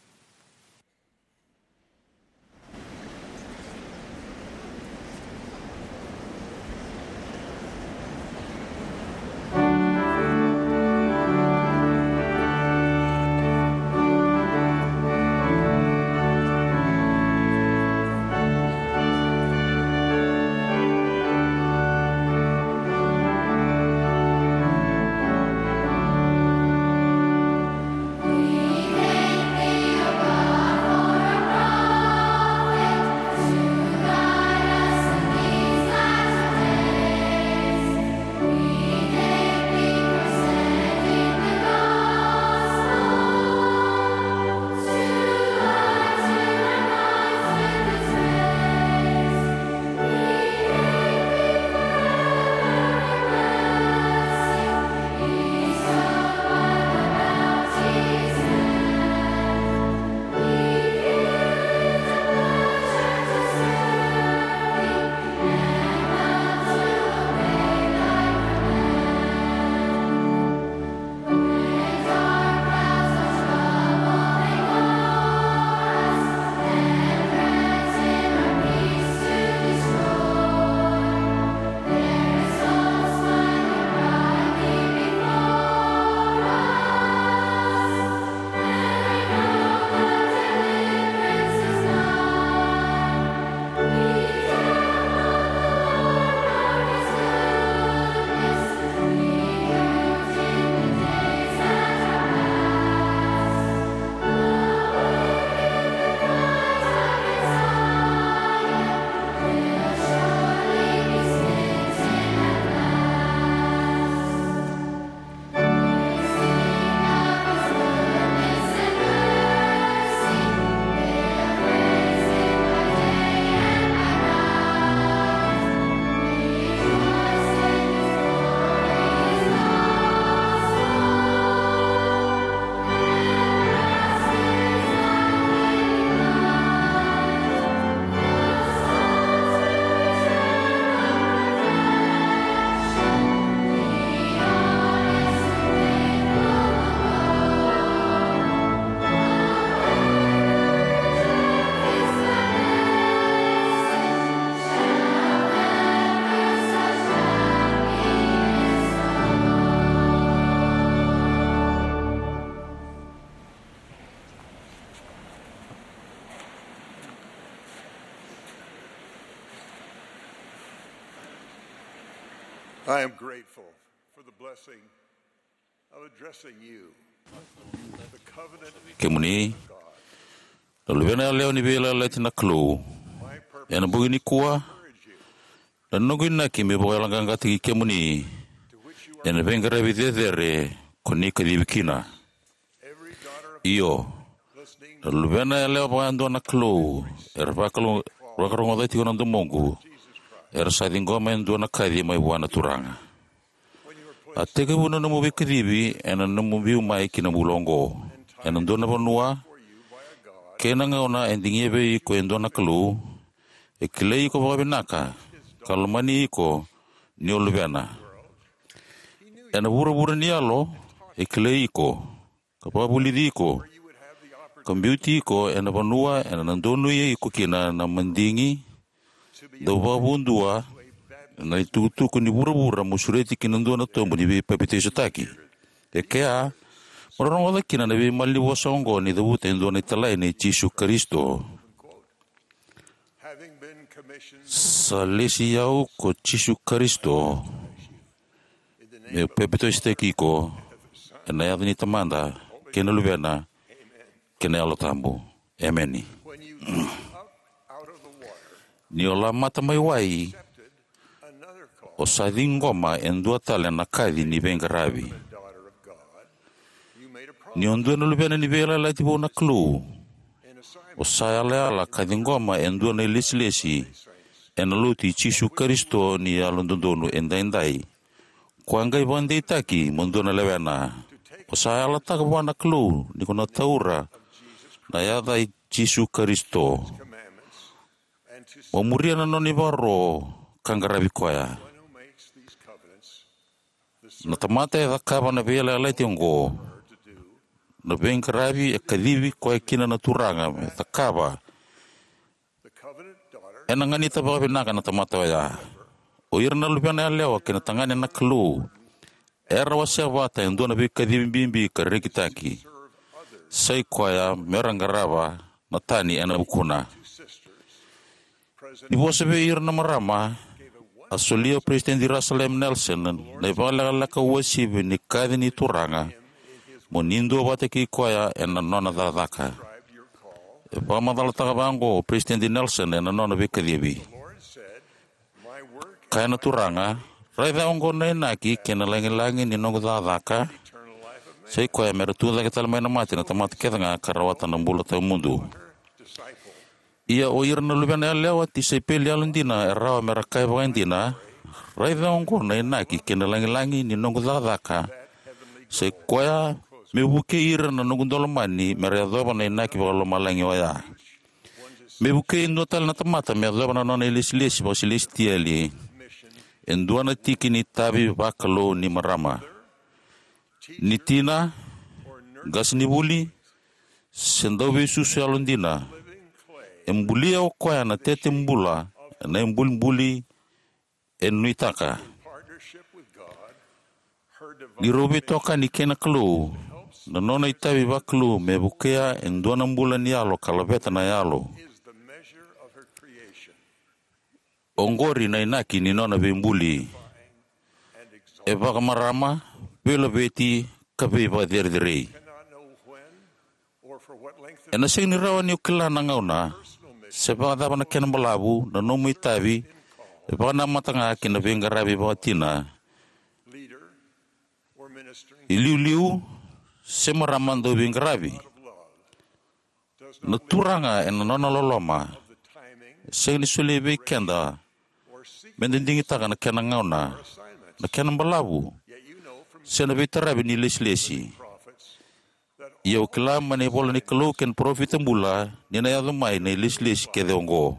I am grateful for the blessing of addressing you. The covenant Kemuni, na luvena yalewa ni veiyalayalati na Kalou, ena bogi nikua, na noqu inaki me vakayaloqaqataki kemuni ena veiqaravi cecere ko ni kacivi kina. Io, na luvena yalewa vakayadua na Kalou era vakalo-, vakarogoca tiko na domoqu, era sa ciqoma e dua na kaci mai vua na Turaga. A tekivu na nomu veikacivi ena nomu biu mai ki na bula oqo ena dua na vanua, kei na gauna e digia vei iko e dua na Kalou, e kilai iko vakavinaka ka lomani iko ni o luvena. Ena vuravura ni yalo, e kilai iko ka vakavulici iko ka biuti iko ena vanua ena na donuya iko kina na madigi, Dau vakavudua na itukutuku ni vuravura mo sureti kina dua na tobu ni veipapitaisotaki. E kea, mo rogoca kina na veimalanivosa oqo ni cavuta e dua na italai nei Jisu Karisito. Sa lesi au ko Jisu Karisito meu papitaisotaki iko ena yaca ni Tamada kei na Luvena kei na Yalo Tabu. Emeni. Ni o lamata mai wai, o sa ciqoma e dua tale na kaci ni veiqaravi. Ni o dua na luvena ni veiyalayalati vou na Kalou, o sa yalayala ka ciqoma e dua na ilesilesi ena Lotu i Jisu Karisito ni Yalododonu Edaidai. Ko a qai vakadeitaki mo dua na lewena. O sa yalataka vua na Kalou ni ko na taura na yaca i Jisu Karisito, mo muria na nona ivakaro ka qaravi koya. Na tamata e cakava na veiyalayalati oqo, na veiqaravi e kacivi koya kina na Turaga me cakava, ena ganita vakavinaka na tamata oya. O ira na luvena yalewa kei na tagane na Kalou era wasea vata e dua na veikacivi bibi ka rekitaki, sai koya mera qarava na tani ena vukuna. Ni vosa vei ira na marama, a solia o Peresitedi Russell M. Nelson na ivakalekaleka uasivi ni kaci ni Turaga mo ni duavata kei koya ena nona cakacaka. E vakamacalataka vaqo o Peresitedi Nelson ena nona veikacivi: Kaya na Turaga, raica oqo na inaki kei na lagilagi ni noqu cakacaka, sai koya mera tucake tale mai na mate na tamata kece ga ka rawata na bula tawamudu. Ia o ira na luvena yalewa, tisaipeli yalodina, e rawa mera kaya vakaidina, raica oqo na inaki kei na lagilagi ni noqu cakacaka, sai koya me vukei ira na noqu daulomani mera yacova na inaki vakalomalagi oya. Me vukei e dua tale na tamata me yacova na nona ilesilesi vakasilesitieli e dua na tiki ni itavi vakalou ni marama. Ni tina, qasenivuli, se dauveisusu yalodina, e bulia o koya na tete bula ena ibulibuli e nuitaka. Ni rau veitokani kei na Kalou, na nona itavi vakalou me vukea e dua na bula ni yalo ka laveta na yalo. Oqori na inaki ni nona veibuli. E vakamarama, veilaveti, ka veivakacerecerei. Ena sega ni rawa ni o kila na gauna se vakacava na kena balavu na nomu itavi e vakanamata ga ki na veiqaravi vakatina, iliuliu, se marama dauveiqaravi. Na Turaga ena nona loloma e sega ni solia vei keda meda digitaka na kena gauna, na kena balavu, se na veitaravi ni ilesilesi. Ia o kila mai na ivola ni Kalou kei na parofita bula ni na yaco mai na ilesilesi kece oqo.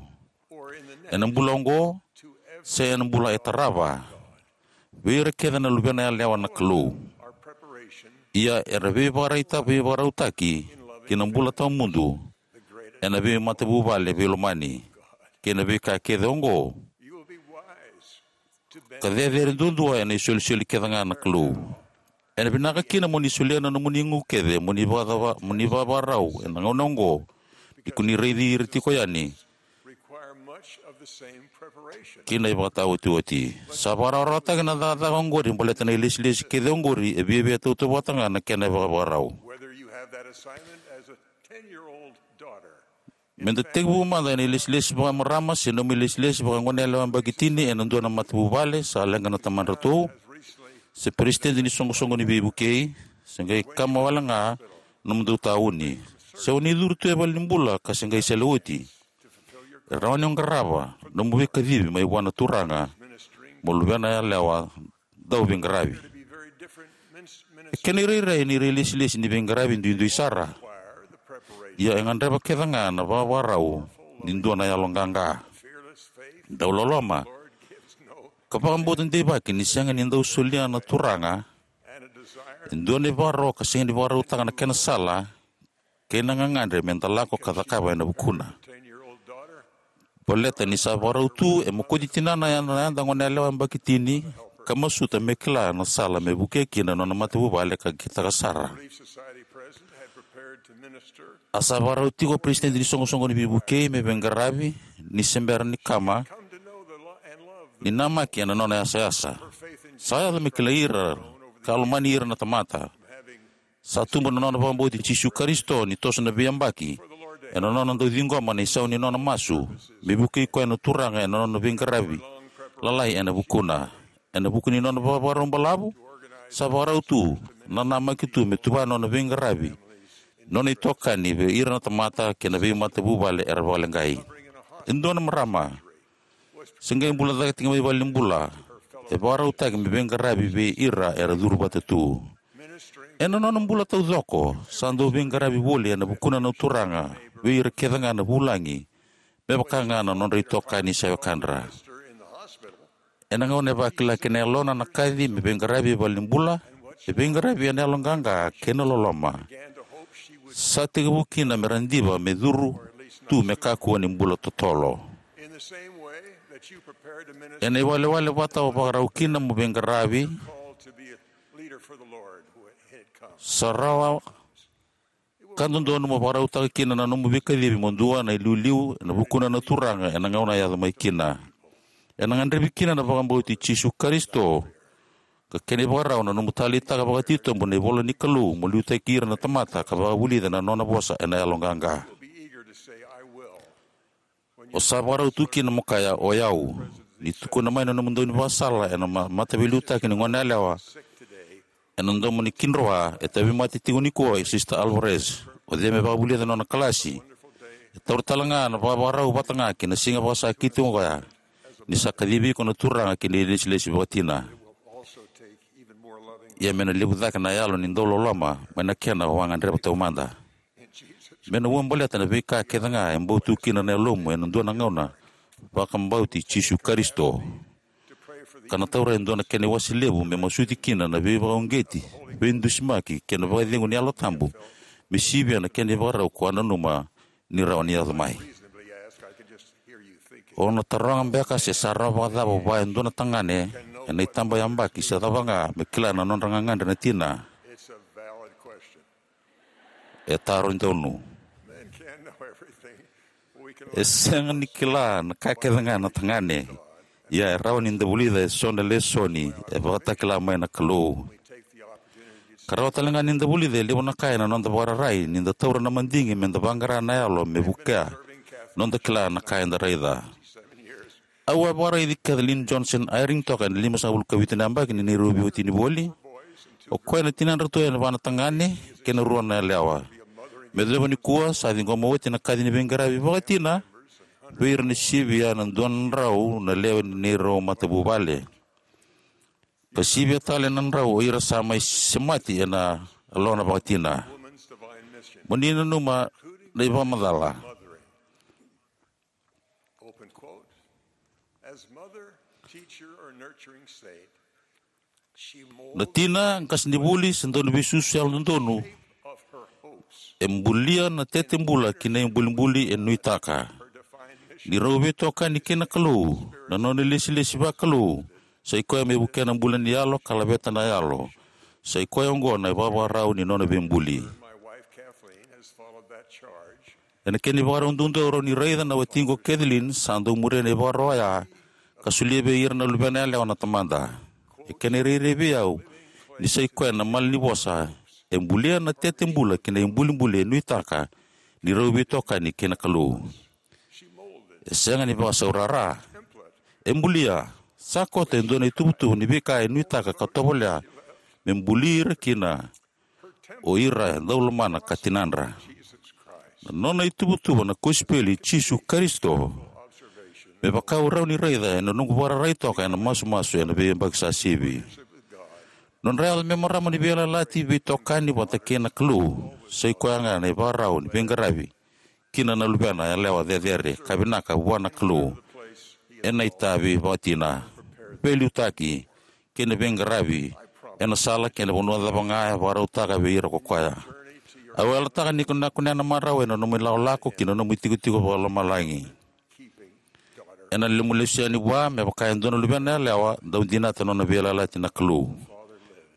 Ena bula oqo, se ena bula e tarava, vei ira kece na luvena yalewa na Kalou. Ia era veivakaraita, veivakarautaki ki na bula tawamudu ena veimatavuvale veilomani kei na veika kece oqo, ka cecere duadua ena isolisoli kece ga na Kalou. Ena vinaka kina mo ni solia na nomuni igu kece mo ni vakacava, mo ni vakavakarau ena gauna oqo, ni ko ni raici ira tiko yani ki na ivakataotioti. Sa vakarawarawataki na cakacaka oqori baleta na ilesilesi kece oqori, e viavia tautauvata ga na kena ivakavakarau. Meda tekivu mada ena ilesilesi vakamarama se nomu ilesilesi vakagoneyalewa yabaki tini ena dua na matavuvale sa leqa na tamadratou, se peresitedi ni soqosoqo ni veivukei, se qai kama wale ga na nomudou tauni, se o ni curu tu e valenibula ka se qai sele oti, e rawa ni o qarava na nomu veikacivi mai vua na Turaga mo luvena yalewa dauveiqaravi. E kena irairai ni ra ilesilesi ni veiqaravi duidui sara. Ia e gadreva kece ga na vakavakarau ni dua na yaloqaqa, dauloloma, ka vakabauta deivaki ni sega ni dau solia na Turaga e dua na ivakaro ka sega ni vakarautaka na kena sala kei na gagadre meda lako ka cakava ena vukuna. Baleta ni sa vakarau tu, e mokoti tinana ena yada goneyalewa yabaki tini ka masuta me kila na sala me vukea kina na nona matavuvale ka kitaka sara. A sa vakarau tiko o peresitedi ni soqosoqo ni veivukei me veiqaravi ni se bera ni kama ni namaki ena nona yasayasa. Sa yaco me kilai ira ka lomani ira na tamata. Sa tubu na nona vakabauti Jisu Karisito ni toso na veiyabaki ena nona dau ciqoma na isau ni nona masu me vukei koya na Turaga ena nona veiqaravi lalai ena vukuna. Ena vuku ni nona vakavakarau balavu, sa vakarau tu, nanamaki tu me tuva na nona veiqaravi, nona itokani vei ira na tamata kei na veimatavuvale era vakaleqai. E dua na marama se qai bula cake tiko mai valenibula e vakarautaki me veiqaravi vei ira era curu vata tu. Ena nona bula taucoko, sa dau veiqaravi voli ena vukuna na Turaga vei ira kece ga na vulagi, me vaka ga na nodra itokani se wekadra. Ena gauna e vakila kina e yalona na kaci me veiqaravi e valenibula, e veiqaravi ena yaloqaqa kei na loloma. Sa tekivu kina me ra diva me curu tu me kakua ni bula totolo. Ena iwalewale vata o vakarau kina mo veiqaravi, sa rawa ka dodonu mo vakarautaka kina na nomu veikacivi mo dua na iliuliu ena vukuna na Turaga ena gauna e yaco mai kina. Ena gadrevi kina na vakabauti Jisu Karisito ka kena ivakarau na nomu taleitaka vakatitobu na ivola ni Kalou mo liutaki ira na tamata ka vakavulica na nona vosa ena yaloqaqa. O sa vakarau tu kina mo kaya, "O yau," ni tukuna mai na nomu daunivakasala ena ma- mataveiliutaki ni goneyalewa ena domo ni kidroa. E tauvimate tiko nikua o Sister Alvarez. O cei me vakavulica na nona kalasi? E taura tale ga na vakavakarau vata ga ki na siga vakasakiti oqo ya, ni sa kacivi iko na Turaga ki na ilesilesi vakatina. Ia me na levu cake na yalo ni dauloloma mai na kena o a gadreva taumada. Me na ua baleta na veika kece ga e bau tu kina na yalomu ena dua na gauna, vakabauti Jisu Karisito, ka na taura e dua na kena iwase levu me masuti kina na veivakauqeti, veidusimaki kei na vakacegu ni Yalo Tabu me sivia na kena ivakarau ko a nanuma ni rawa ni yaco mai. O na taroga beka se sa rawa vakacava vua e dua na tagane ena itabayabaki se cava ga me kila na nodra gagadre na tina? E taro donu. E sega ni kila na ka kece ga na tagane, ia e rawa ni da vulica eso na lesoni e vakatakila mai na Kalou. Ka rawa tale ga ni da vulica e levu na ka ena noda vakararai ni da taura na madigi me da vaqara na yalo me vukea noda kila na ka eda raica. Au a vakaraici Kathleen Johnson Eyring toka ena limasagavulu ka vitu na yabaki ni neirau veiwatini voli. O koya na tinadratou ena va na tagane kei na rua na yalewa. Me yacova nikua sa ciqoma oti na kaci ni veiqaravi vakatina vei ira na sivia na dua na drau na lewe ni neirau matavuvale, ka sivia tale na drau o ira sa mai semati ena yalona vakatina. Mo ni nanuma na ivakamacala. Na tina, qasenivuli, se dauniveisusu yalododonu, e bulia na tete bula ki na ibulibuli e nuitaka. Ni rau veitokani kei na Kalou, na nona ilesilesi vakalou sa i koya me vukea na bula ni yalo ka laveta na yalo. Sa i koya oqo na ivavakarau ni nona veibuli. Ena kena ivakarau duadua, rau ni raica na watiqu o Kathleen sa dau muria na ivakaro oya ka solia vei ira na luvena yalewa na Tamada. E kena irairai vei au ni sa i koya na malanivosa e bulia na tete bula ki na ibulibuli e nuitaka ni rau veitokani kei na Kalou. E sega ni vakasaurara. E bulia, sa koto e dua na ituvatuva ni veika e nuitaka ka tovolea me buli ira kina o ira e dau lomana ka tinadra. Na nona ituvatuva na kosipeli i Jisu Karisito me vaka au rawa ni raica ena noqu vakararai toka ena masumasu ena veiyabaki sa sivi. Nodra yaco me marama ni veiyalayalati veitokani vata kei na Kalou sa i koya ga na ivakarau ni veiqaravi kina na luvena yalewa cecere ka vinaka vua na Kalou ena itavi vakatina, veiliutaki kei na veiqaravi ena sala kei na vanua cava ga e vakarautaka vei ira ko koya. Au yalataka ni ko na kunea na marau ena nomu ilakolako ki na nomu itikotiko vakalomalagi. Ena lemu lesu yani vua me vaka e dua na luvena yalewa dau dinata na nona veiyalayalati na Kalou.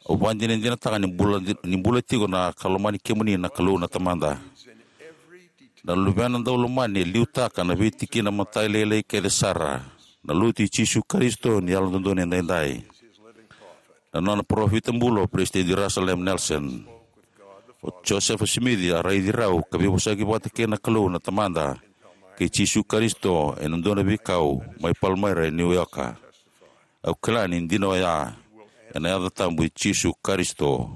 Au vakadinadinataka ni bula, ni bula tiko na ka lomani kemuni na Kalou na Tamada. Na luvena dau lomani e liutaka na veitikina matailalai kece sara, na Lotu i Jisu Karisito ni Yalododonu Edaidai. Na nona parofita bula o Peresitedi Russell M. Nelson. O Josefa Simici a raici rau ka veivosaki vata kei na Kalou na Tamada kei Jisu Karisito ena dua na veikau mai Palmaira e New York. Au kila ni dina oya, ena yaca tabu i Jisu Karisito.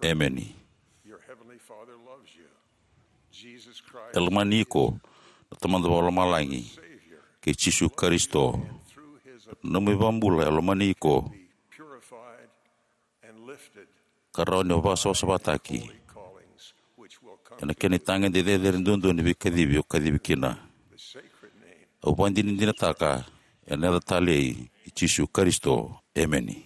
Emeni. E lomani iko na Tamada Vakalomalagi kei Jisu Karisito. Na nomu iVakabula e lomani iko, ka rawa ni vakasavasavataki ena kena itagede cecere duadua ni veikacivi o kacivi kina. Au vakadinadinataka ena yaca talei i Jisu Karisito. Emeni.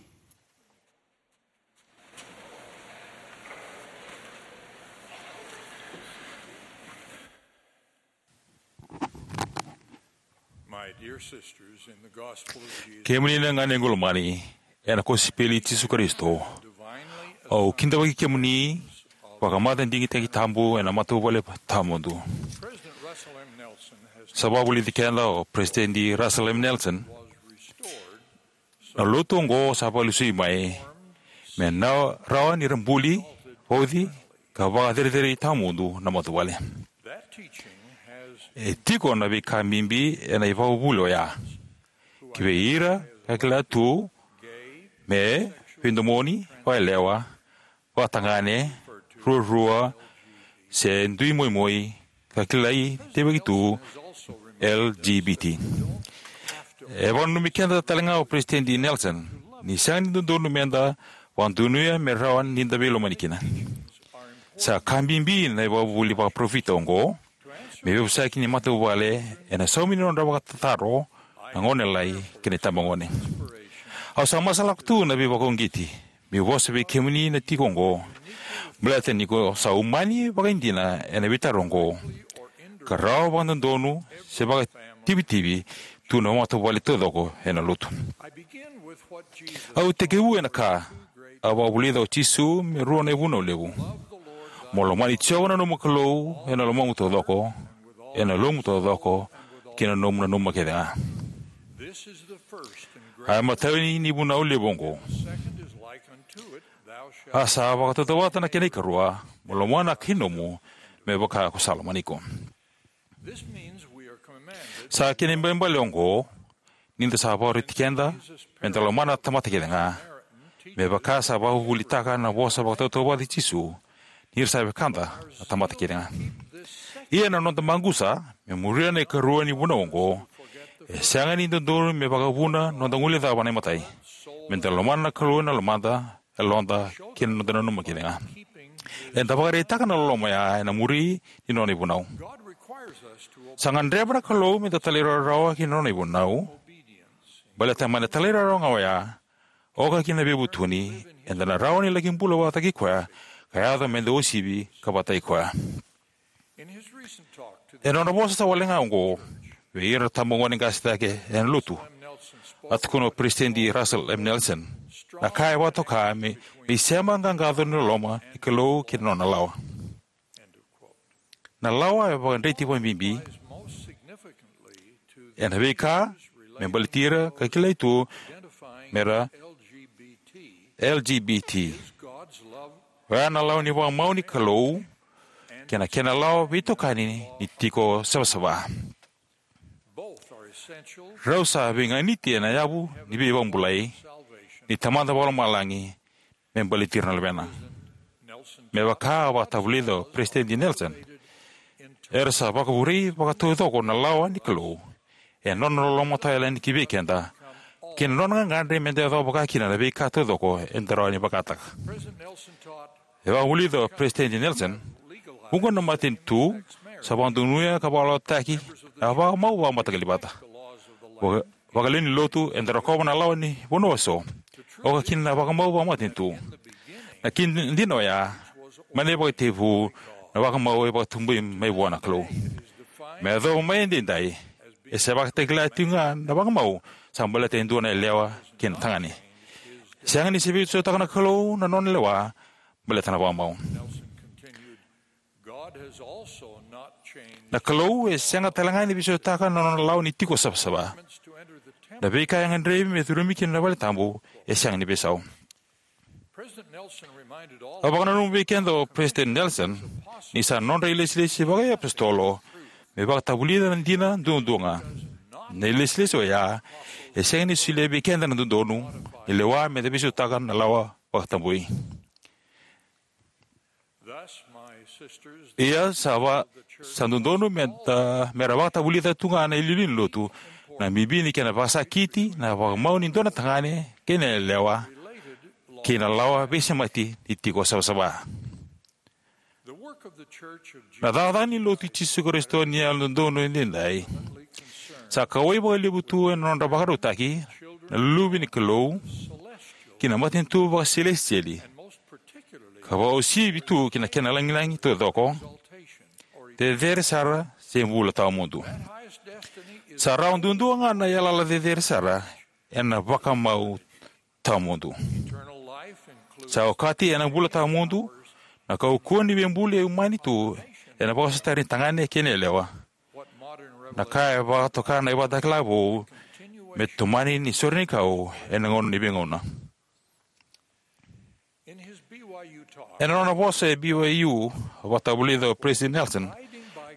My dear sisters, in the gospel of Jesus, kemuni na ganequ lomani ena kosipeli i Jisu Karisito, divinely au kidavaki kemuni vakamata digitaki tabu ena matavuvale tawamudu. President Russell M. Nelson has sa vakavulici keda o President Russell M. Nelson, was restored na lotu oqo sa vakalesui mai me na rawa ni ra buli, vauci, ka vakacerecerei tawamudu na matavuvale. E tiko na veika bibi ena ivakavuvuli oya. Ki vei ira ka kila tu me veidomoni, vakayalewa, vakatagane, ruarua, se dui moimoi, ka kilai tevaki tu L G B T. E vakananumi keda tale ga o President Nelson ni sega ni dodonu meda vakadonuya me rawa ni da veilomani kina. Sa ka bibi na ivakavuvuli vakaparofita oqo me veivosaki ni matavuvale ena saumi ni nodra vakatataro na gonelalai kei na itabagone. Au sa masalaka tu na veivakauqeti meu vosa vei kemuni na tiko oqo, baleta ni ko sa umani vakaidina ena veitaro oqo, ka rawa vakadodonu se vakativitivi tu na matavuvale taucoko ena lotu. Au tekivu ena ka a vakavulica o Jisu me rua na ivunau levu: mo lomani Jiova na nomu Kalou ena lomamu taucoko, ena yalomu taucoko, kei na nomu nanuma kece ga. A imatau ni ivunau levu oqo. A sa vakatautauvata na kena ikarua: mo lomana na kai nomu me vaka ko sa lomani iko. Sa kena ibalebale oqo ni da sa vakaroti keda meda lomana na tamata kece ga, me vaka sa vakavuvulitaka na vosa vakatautauvata i Jisu, ni ra sa wekada na tamata kece ga. Ia na noda maqusa me muria na ikarua ni vunau oqo e sega ni dodonu me vakavuna noda guilecava na imatai, meda lomana na Kalou ena lomada, yaloda, kei na noda nanuma kece ga. Eda vakaraitaka na loloma oya ena muri ni nona ivunau. Sa gadreva na Kalou meda talairawarawa ki na nona ivunau, baleta mai na talairawarawa ga oya, oka kina na veivutuni, eda na rawa ni laki bula vakataki koya ka yaco meda uasivi ka vakataki koya. Ena nona vosa sa wale ga oqo vei ira na tabagone qase cake ena lotu, a tukuna o Peresitedi Russell M. Nelson na ka e vakatoka me, me isema qaqaco ni loloma ni Kalou kei na nona lawa. Na lawa e vakadreti vakabibi ena veika me baleti ira ka kilai tu me ra L G B T. Oya na lawa ni vakamau ni Kalou kei na kena lawa veitokani ni tiko savasava. Rau sa veiganiti ena yavu ni veivakabulai ni Tamada Vakalomalagi me baleti ira na luvena. Me vaka a vakatavulica o Peresitedi Nelson, era sa vakavurei vakataucoko na lawa ni Kalou ena nona loloma tawa yalani ki vei keda, kei na nona gagadre meda yacova vaka kina na veika taucoko eda rawa ni vakataka. E vakavulica o Peresitedi Nelson, vuqa na matanitu sa vakadonuya ka vakalawataki na vakamau vakamataqali vata. Vaka, vakalewe ni lotu eda rokova na lawa ni vanua eso, oka kina na vakamau vakamatanitu. Na kena dina oya, mai na ivakatekivu, na vakamau e vakatabui mai vua na Kalou. Me yacova mai edaidai, E sa vakatakila tiko ga na vakamau sa baleta e dua na yalewa kei na tagane. Sega ni se veisautaka na Kalou na nona lewa baleta na vakamau. Na Kalou e sega tale ga ni veisautaka na nona lawa ni tiko savasava. Na veika e gadrevi me curumi kina na vale tabu e sega ni veisau. A vakananuma vei keda o Peresitedi Nelson ni sa nodra ilesilesi vakaiapositolo me vakatavulica na dina duadua ga. Na ilesilesi oya e sega ni solia vei keda na dodonu ni lewa me da veisautaka na lawa vakatabui. Ia sa va sa dodonu me da me ra vakatavulica tu ga na iliuliu ni lotu na bibi ni kena vakasakiti na vakamau ni dua na tagane kei na yalewa kei na lawa veisemati ni tiko savasava. Na cakacaka ni Lotu i Jisu Karisito ni Yalododonu Edaidai sa kauwai vakalevu tu ena nodra vakarautaki na luve ni Kalou ki na matanitu vakaselesitieli, ka vakauasivi tu ki na kena lagilagi taucoko, cecere sara se bula tawamudu. Sa rawa duadua ga na yalayala cecere sara ena vakamau tawamudu. Sa okati ena bula tawamudu na kaukauwa ni veibuli e umani tu ena vakasotari ni tagane kei na yalewa, na ka e vakatoka na ivakatakila vou me tomani ni sorenikau ena gauna ni veigauna. Ena nona vosa e B Y U, a vakatavulica o Peresitedi Nelson,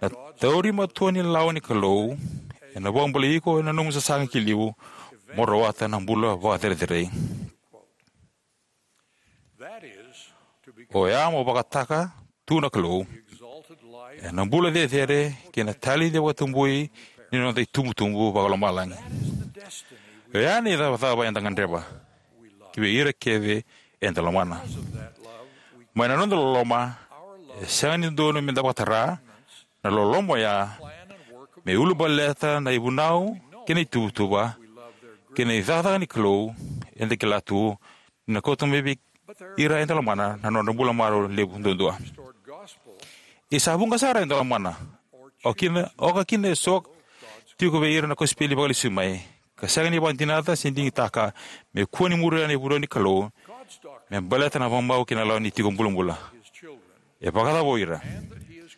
na tauri matua ni lawa ni Kalou ena vakabulai iko ena nomu sasaga ki liu mo rawata na bula vakacerecerei. Oya mo vakataka tu na Kalou ena bula cecere kei na taledi vakatabui ni noda itubutubu vakalomalagi. Oya na icavacava eda gadreva ki vei ira kece eda lomana. Mai na noda loloma, e sega ni dodonu me da vakatara na loloma oya me ulabaleta na ivunau kei na ituvatuva kei na icakacaka ni Kalou eda kila tu ni na kauta mai vei ira eda lomana na nodra bula marau levu duadua. Ia sa vuqa sara eda lomana, o kina, oka kina eso tiko vei ira na kosipeli vakalesui mai, ka sega ni vakadinata se digitaka me kua ni muria na ivunau ni Kalou me baleta na vakamau kei na lawa ni tiko bulabula. E vakacava o ira?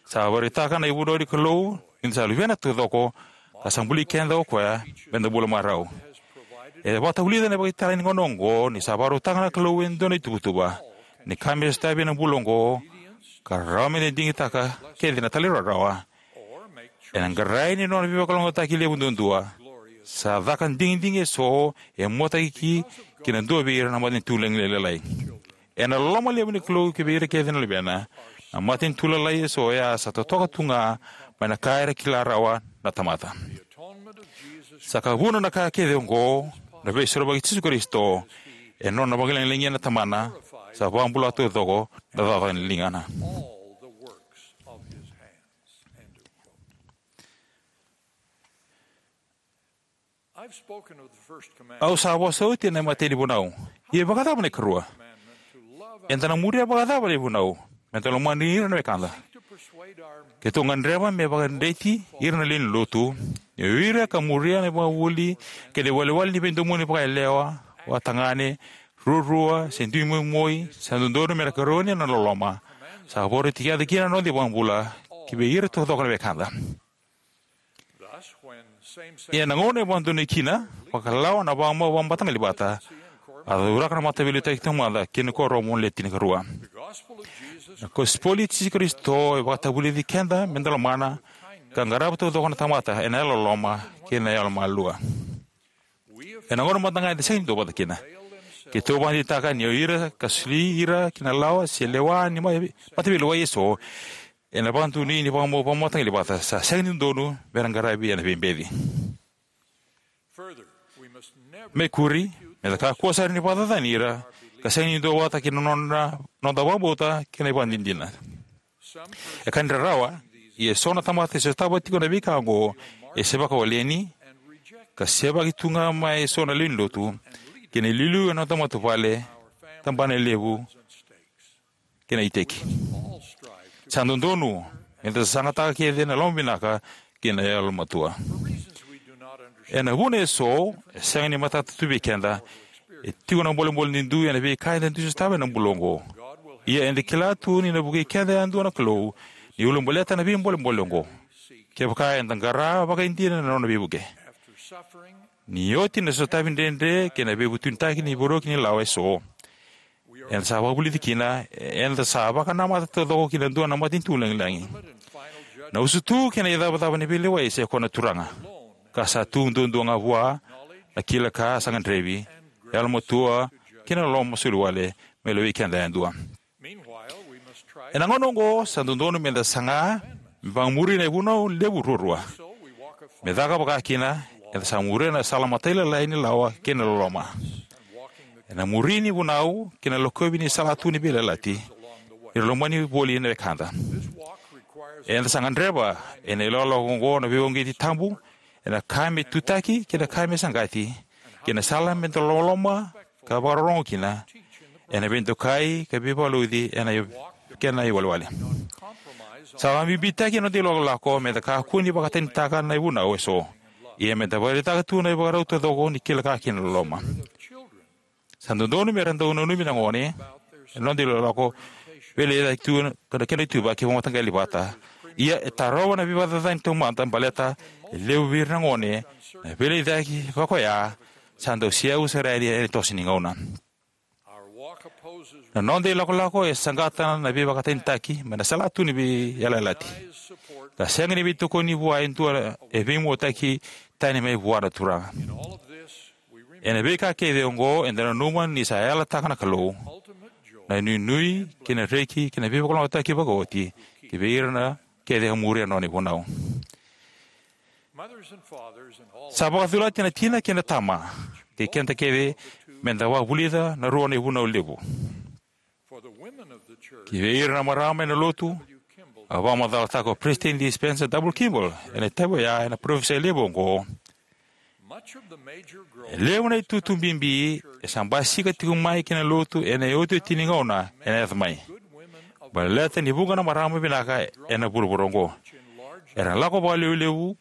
Sa vakaraitaka na ivunau ni Kalou ni da sa luvena taucoko ka sa buli keda o koya me da bula marau. E vakatavulica na ivakatagi ni gauna oqo ni sa vakarautaka na Kalou e dua na ituvatuva ni ka me sotavi ena bula oqo, ka rawa me da digitaka kece na talairawarawa ena qarai ni nona veivakalougatataki levu duadua. Sa caka digidigi eso e muataki ki na dua vei ira na matanitu lailai. Ena loloma levu ni Kalou ki vei ira kece na luvena, na matanitu lailai eso oya sa totoka tu ga mai na ka era kila rawa na tamata. Sa ka vuna na ka kece oqo na Veisorovaki i Jisu Karisito ena nona vakalagilagia na Tamana, sa vakabula taucoko na cakacaka ni ligana. Au sa vosa oti ena imatai ni vunau. Ia vakacava na ikarua? Eda na muria vakacava na ivunau me da lomani ira na wekada? Keitou gadreva me vakadreti ira na lewe ni lotu ni o ira ka muria na ivakavuvuli kei na iwalewale ni veidomoni vakayalewa, vakatagane, ruarua, se dui moimoi, sa dodonu me ra karoni ena loloma sa vakarautaki kina na noda iVakabula ki vei ira taucoko na wekada. Ia na gauna e vakadonui kina vakalawa na vakamau vakamataqali vata, a cauraka na Mataveiliutaki Taumada kei na Kuoramu Le Tinikarua. Na kosipeli i Jisu Karisito e vakatavulici keda me da lomana ka qarava taucoko na tamata ena yalololoma kei na yalomalua. Ena gauna mada ga eda sega ni duavata kina, keitou vakadeitaka ni o ira ka soli ira ki na lawa se lewa ni ma- mataveilewai eso ena vakadonui ni vakamau vakamataqali vata sa sega ni dodonu me ra qaravi ena veibeci. Me kuri, me da kakua sara ni vakacacani ira ka sega ni duavata kei na nona noda vakabauta kei na ivakadinadina. E ka ni rarawa, ia eso na tamata e sotava tiko na veika oqo e sevaka waleni ka sevaki tu ga mai eso na lewe ni lotu kei na iliuliu ena noda matavuvale, tabanalevu kei na iteki. Sa dodonu me da sasagataka kece na lomavinaka kei na yalomatua. Ena vuna eso, e sega ni matata tu vei keda, e tiko na bolebole duidui ena veika eda dui sotava ena bula oqo. Ia eda kila tu ni na vukei keda yadua na Kalou ni ulabaleta na veibolebole oqo, kevaka eda qara vakaidina na nona veivuke. Ni oti na sotavi dredre kei na veivutunitaki ni veivuke ni lawa eso, eda sa vakavulici kina, eda sa vakanamata taucoko ki na dua na matanitu lagilagi. Na usutu kei na icavacava ni veilewai sa i koya na Turaga, ka sa tu duadua ga vua na kila ka sa gadrevi, yalomatua, kei na loloma soli wale me lewei keda yadua. Ena gauna oqo, sa dodonu meda saga me vakamuri na ivunau levu ruarua. Me caka vakakina, eda sa muria na sala matailalai ni lawa kei na loloma. Ena muri ni vunau kei na lokovi ni salatu ni veiyalayalati, ni ra lomani voli na wekada. Eda sa gadreva ena ilakolako oqo na veivakauqeti tabu, ena ka me tutaki kei na ka me saqati, kei na sala meda loloma ka vakarorogo kina, ena veidokai ka veivakalotutaki ena i-, kena iwalewale. Sa vakabibitaki ena noda ilakolako meda kakua ni vakatanitaka na ivunau eso, ia meda vakaraitaka tu na ivakarau taucoko ni kila ka kei na loloma. Sa dodonu mera dau nanumi na gone ena noda ilakolako, veilecayaki tu na kena ituvaki vakamataqali vata. Ia e tarova na veivakacacani taumada baleta e levu vei ira na gone na veilecayaki vakaoya sa dau seyavu sara yani ena toso ni gauna. Na noda ilakolako e saqata na veivakatanitaki mai na salatu ni veiyalayalati, ka sega ni veitokoni vua e dua e veimuataki tani mai vua na Turaga. Ena veika kece oqo eda nanuma ni sa yalataka na Kalou na inuinui kei na reki kei na veivakalougatataki vakaoti ki vei ira na kece ka muria na nona ivunau. Sa vakacolati na tina kei na tama kei keda kece meda vakavulica na rua na ivunau levu. Ki vei ira na marama ena lotu, a vakamacalataka o Peresitedi Spencer W. Kimball ena itavi oya ena parofisai levu oqo: E levu na itutu bibi e sa basika tiko mai ki na lotu ena iotioti ni gauna ena yaco mai, baleta ni vuqa na marama vinaka ena vuravura oqo era na lako vakalevulevu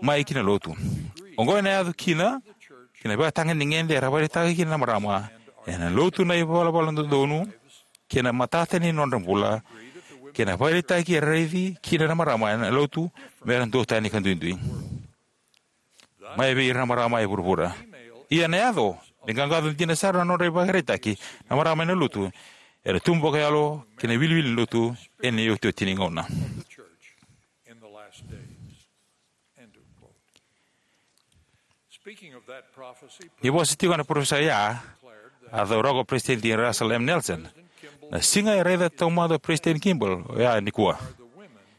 mai ki na lotu. Oqo ena yaco kina ki na ivakatagedegede era vakaraitaka kina na marama ena lotu na ivalavala dodonu kei na matata ni nodra bula, kei na vakaraitaki era raici kina na marama ena lotu mera duatani ka duidui mai vei ira na marama e vuravura. Ia ena yaco me qaqaco dina sara na nodra ivakaraitaki na marama ena lotu ena tubu vakayalo kei na iwiliwili ni lotu ena iotioti ni gauna. Ni vosa tiko ena parofisai oya, a cauraka o Peresitedi Russell M. Nelson: Na siga e raica taumada o Peresitedi Kimball oya nikua.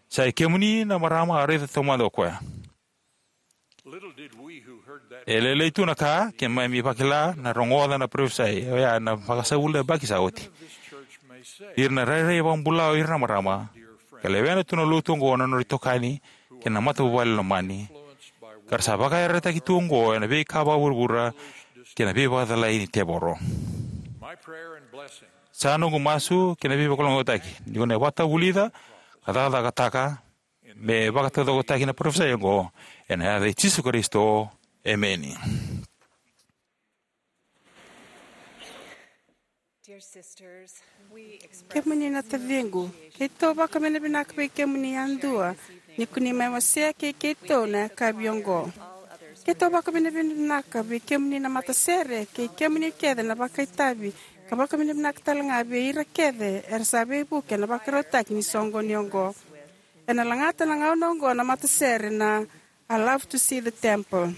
Sa i kemuni na marama a raica taumada o koya. E lailai tu na ka keimami vakila na rogoca na parofisai oya ena vakasavulu na yabaki sa oti. Ira na rairai vakabula o ira na marama, ka lewena tu na lotu oqo na nodra itokani kei na matavuvale lomani, ka ra sa vakayarayarataki tu oqo ena veika vakavuravura kei na veivakacalai ni tevoro. Sa noqu masu kei na veivakalougatataki ni ko na vakatavulica ka cakacakataka me vakataucokotaki na parofisai oqo, ena yaca i Jisu Karisito, emeni. Kemuni na taciqu, keitou vakavinavinaka vei kemuni yadua ni ko ni mai wasea kei keitou na yakavi oqo. Keitou vakavinavinaka vei kemuni na matasere kei kemuni kece na vakaitavi, ka vakavinavinaka talega vei ira kece era sa veivuke ena vakarautaki ni soqoni oqo. Ena lagata na gauna oqo na matasere na I Love to See the Temple.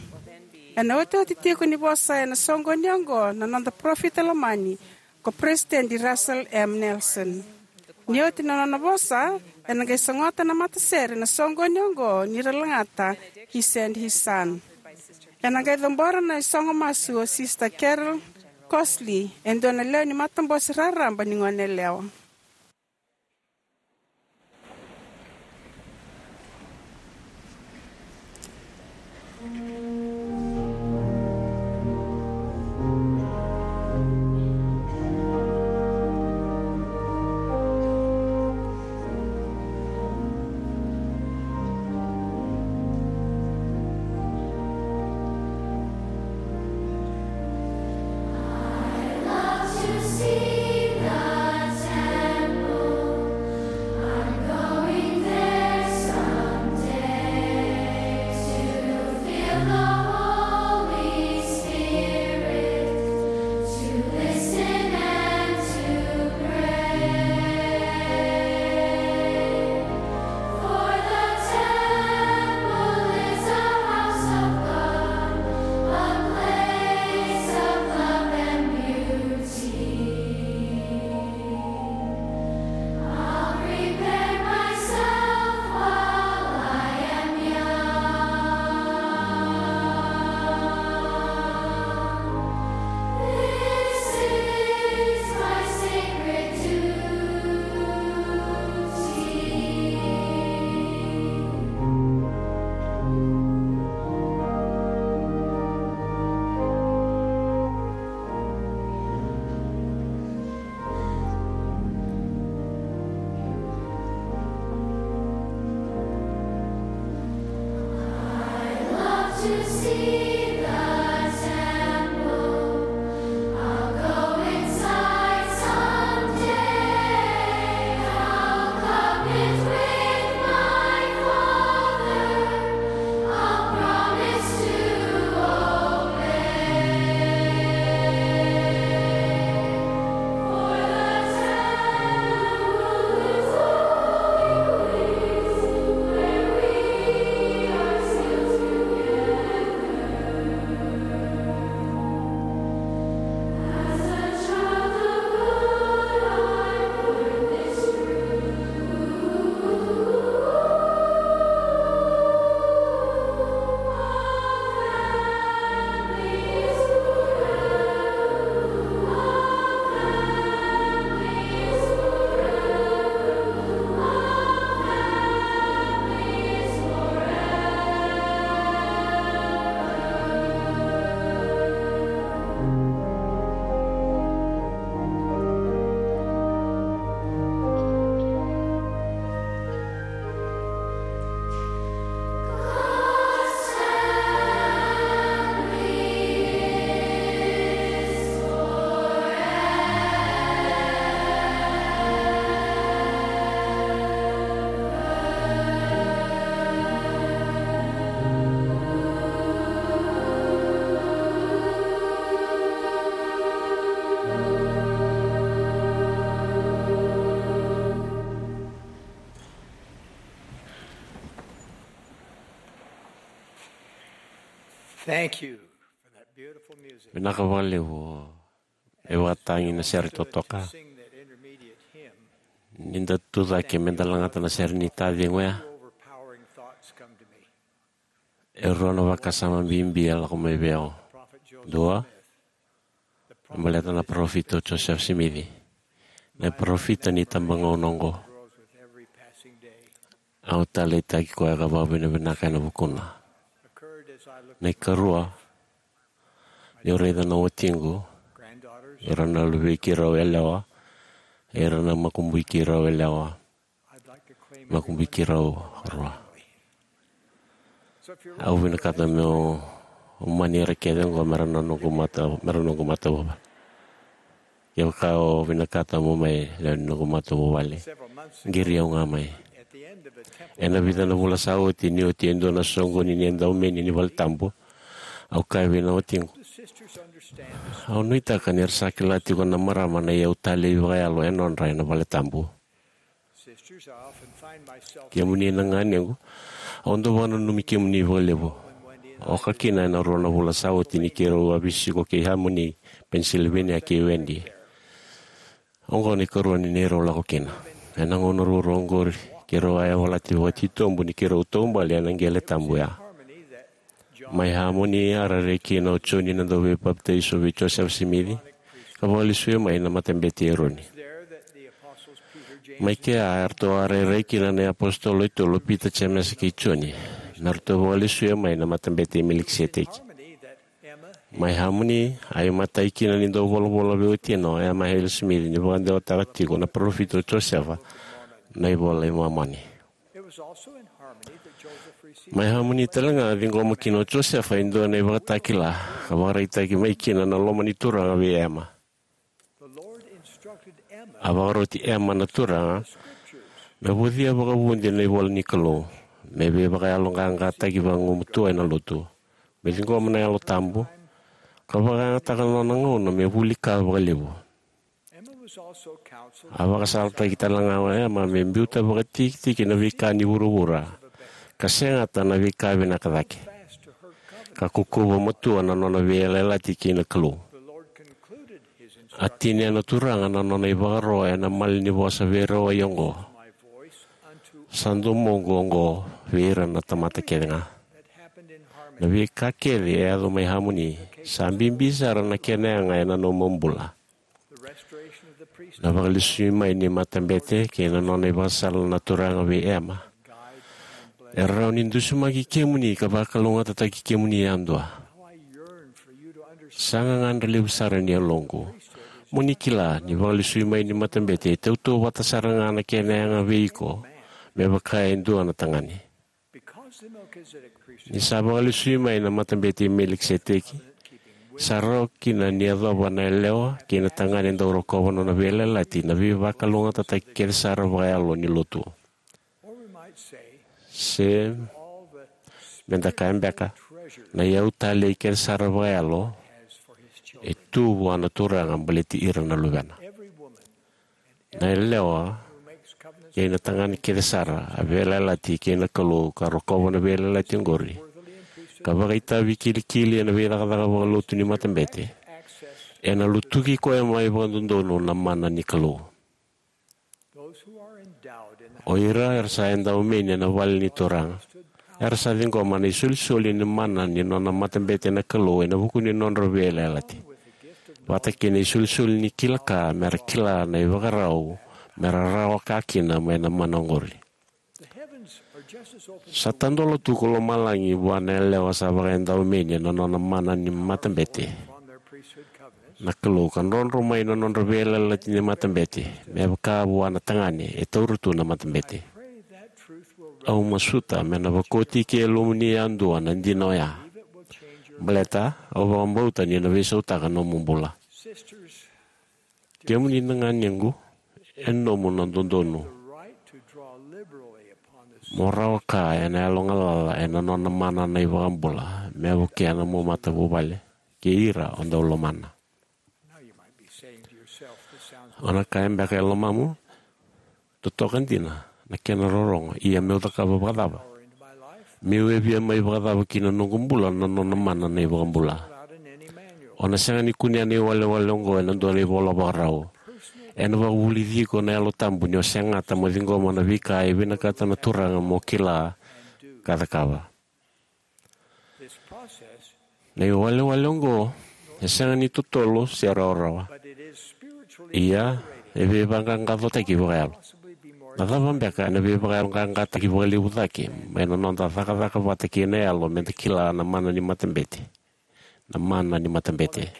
Ena otioti tiko ni vosa ena soqoni oqo na noda parofita lomani ko Peresitedi Russell M. Nelson. Ni oti na nona vosa, ena qai sogota na matasere na soqoni oqo ni ra lagata He Sent His Son. Ena qai cabora na isogo masu o Sista Carol Crossley, e dua na lewe ni matabose raraba ni goneyalewa. Thank you for that beautiful music. Vinaka vakalevu. E vakatagi na sere totoka. Sing that intermediate hymn. Ni da tu cake me da lagata na sere ni taciqu ya. Two overpowering thoughts come to me. E rua na vakasama bibi e lako mai vei au. Prophet Joseph Dua, Smith, the e baleta na parofita o Joseph Smith, na parofita ni tabagauna oqo. Grows with every passing day. Au taleitaki koya ka vakavinavinaka ena vukuna. Occurred as I looked Na ikarua, niu raica na watiqu, granddaughters, ira na luvei keirau yalewa, ira na makubui keirau yalewa, I'd like to claim makubui keirau rua. So if you're Au vinakata meu mani ira kece oqo mera na noqu mata, mera noqu mata vuvale. Kevaka o vinakata mo mai lewe ni noqu mata vuvale, several months ago, qiri au ga mai. At the end of a temple Ena vica na vula sa oti, ni oti e dua na soqoni ni edaumeni ni vale tabu, au kaya vei na watiqu, the sisters understand this. Au nuitaka ni ra sa kila tiko na marama na iyau talei vakayalo e nodra ena vale tabu. Sisters, I often find myself Kemuni na ganequ, au dau vakananumi kemuni vakalevu. Oka kina ena rua na vula sa oti ni keirau a veisiko kei Harmony, Pennsylvania, kei Wendy. Oqo na ikarua ni neirau lako kina. Ena gauna ruarua oqori, keirau a yavalati vakatitobu ni keirau taubale ena qele tabu ya. Mai Harmony a rairai kina o Joni na dauveipapitaiso vei Josefa Simici, ka vakalesuya mai na Matabete i Eroni. Mai kea eratou a rairai kina na iapositolo e tolu, o Pita, Jemesa kei Joni, me ratou vakalesuya mai na Matabete i Melikiseteki. Mai Harmony a imatai kina ni dauvolavola vei watina o Emma Hale Smith ni vakadewataka tiko na parofita o Josefa na iVola i Momani. Mai Harmony tale ga a ciqoma kina o Josefa e dua na ivakatakila ka vakaraitaki mai kina na loma ni Turaga vei Emma. A vakaroti Emma na Turaga me vocia vakavudi na ivola ni Kalou, me veivakayaloqaqataki vagumatua ena lotu, me ciqoma na Yalo Tabu, ka vakayagataka na nona gauna me vuli ka vakalevu. A vakasalataki tale ga o Emma me biuta vakatikitiki na veika ni vuravura, ka segata na veika vinaka cake, ka kaukauwa matua na nona veiyalayalati kei na Kalou. A tinia na Turaga na nona ivakaro ena malanivosa veirawai oqo: Sa domoqu oqo vei ira na tamata kece ga. Na veika kece e yaco mai Harmony sa bibi sara na kena yaga ena nomu bula. Na vakalesui mai ni matabete kei na nona ivakasala na Turaga vei Emma e rawa ni dusimaki kemuni ka vakalougatataki kemuni yadua. Sa gagadre levu sara ni yaloqu mo ni kila ni vakalesui mai ni matabete e tautauvata sara ga na kena yaga vei iko me vaka e dua na tagane. Ni sa vakalesui mai na Matabete i Melikiseteki, sa rawa kina ni yacova na yalewa kei na tagane dau rokova nona veiyalayalati na veivakalougatataki kece sara vakayalo ni lotu. Se me da kaya beka, na iyau talei kece sara vakayalo e tu vua na Turaga baleti ira na luvena. Na yalewa kei na tagane kece sara a veiyalayalati kei na Kalou ka rokova na veiyalayalati oqori ka vakaitavi kilikili ena veicakacaka vakalotu ni matabete, ena lutuki koya mai vakadodonu na mana ni Kalou. O ira era sa edaumeni ena vale ni Turaga era sa ciqoma na isolisoli ni mana ni nona matabete na Kalou ena vuku ni nodra veiyalayalati, vata kei na isolisoli ni kila ka mera kila na ivakarau mera rawa ka kina mai na mana oqori. Sa tadola tu ko lomalagi vua na yalewa sa vakaedaumeni ena nona mana ni matabete na Kalou ka drodro mai na nodra veiyalayalati ni matabete me vaka vua na tagane e taura tu na matabete. Au masuta me na vakoti ki yalomuni yadua na dina oya, baleta au vakabauta ni na veisautaka nomu bula. Kemuni na ganequ, e nomu na dodonu mo rawa ka ena yalo galala ena nona mana na iVakabula me vukea na nomu matavuvale kei ira o dau lomana. O na kaya beka e lomamu, totoka dina na kena rorogo, ia meu cakava vakacava? Meu e via mai vakacava ki na noqu bula na nona mana na iVakabula? O na sega ni kunea na iwalewale oqo ena dua na ivola vakarau. Ena vakavulici iko na Yalo Tabu ni o segata mo ciqoma na veika e vinakata na Turaga mo kila ka cakava. Na iwalewale oqo e sega ni totolo se rawarawa. Ia, e veivaqaqacotaki vakayalo. Na cava beka ena veivakayaloqaqataki vakalevu cake mai na noda cakacaka vata kei na yalo meda kila na mana ni matabete? Na mana ni matabete.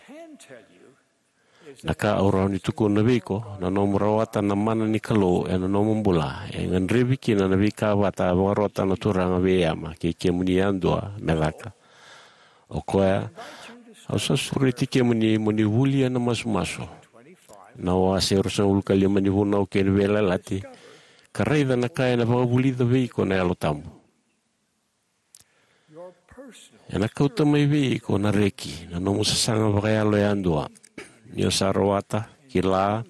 Na ka au rawa ni tukuna vei iko, na nomu rawata na mana ni Kalou ena nomu bula e gadrevi kina na veika vata a vakarota na Turaga vei Ema kei kemuni yadua me caka. O koya, au sa sureti kemuni mo ni vulia na masumasu, na wase ruasagavulu ka lima ni Vunau kei na Veiyalayalati, ka raica na ka ena vakavulica vei iko na Yalo Tabu. Ena kauta mai vei iko na reki na nomu sasaga vakayalo yadua ni o sa rawata, kila,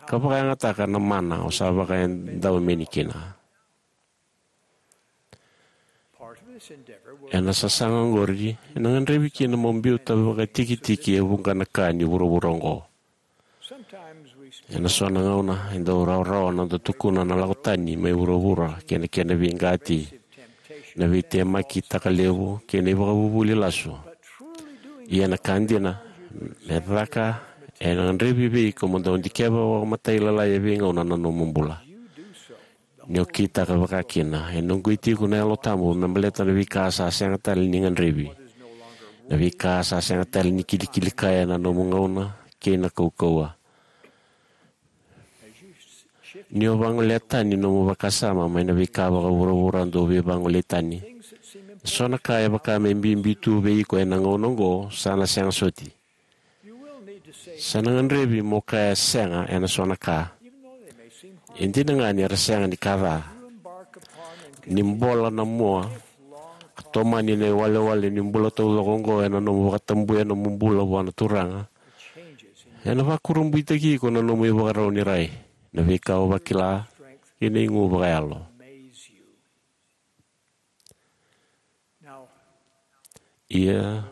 ka vakayagataka na mana o sa vakaedaumeni kina. Ena sasaga oqori ena gadrevi kina mo biuta vakatikitiki e vuqa na ka ni vuravura oqo. Ena so na gauna e dau rawarawa na noda tukuna na lako tani mai vuravura kei na kena veiqati, na veitemaki takalevu kei na ivakavuvuli lasu. Ia na ka dina, me caka, ena gadrevi vei iko mo dau dikeva vakamatailalai e veigauna na nomu bula. Ni o kitaka vakakina, ena uqeti iko na Yalo Tabu me baleta na veika sa sega tale ni gadrevi, na veika sa sega tale ni kilikili kaya na nomu gauna kei na kaukauwa. Ni o vagolea tani nomu vakasama mai na veika vakavuravura dau veivagolei tani, so na ka e vaka me bibi tu vei iko ena gauna oqo sa na sega soti. Sa na gadrevi mo kaya sega ena so na ka, e dina ga ni era sega ni ka ca. Ni bola na mua ka tomani na iwalewale ni bula taucoko oqo ena nomu vakatabuya nomu bula vua na Turaga, ena vakurabuitaki iko na nomu ivakarau ni rai, na veika o vakila, kei na igu vakayalo. Ia,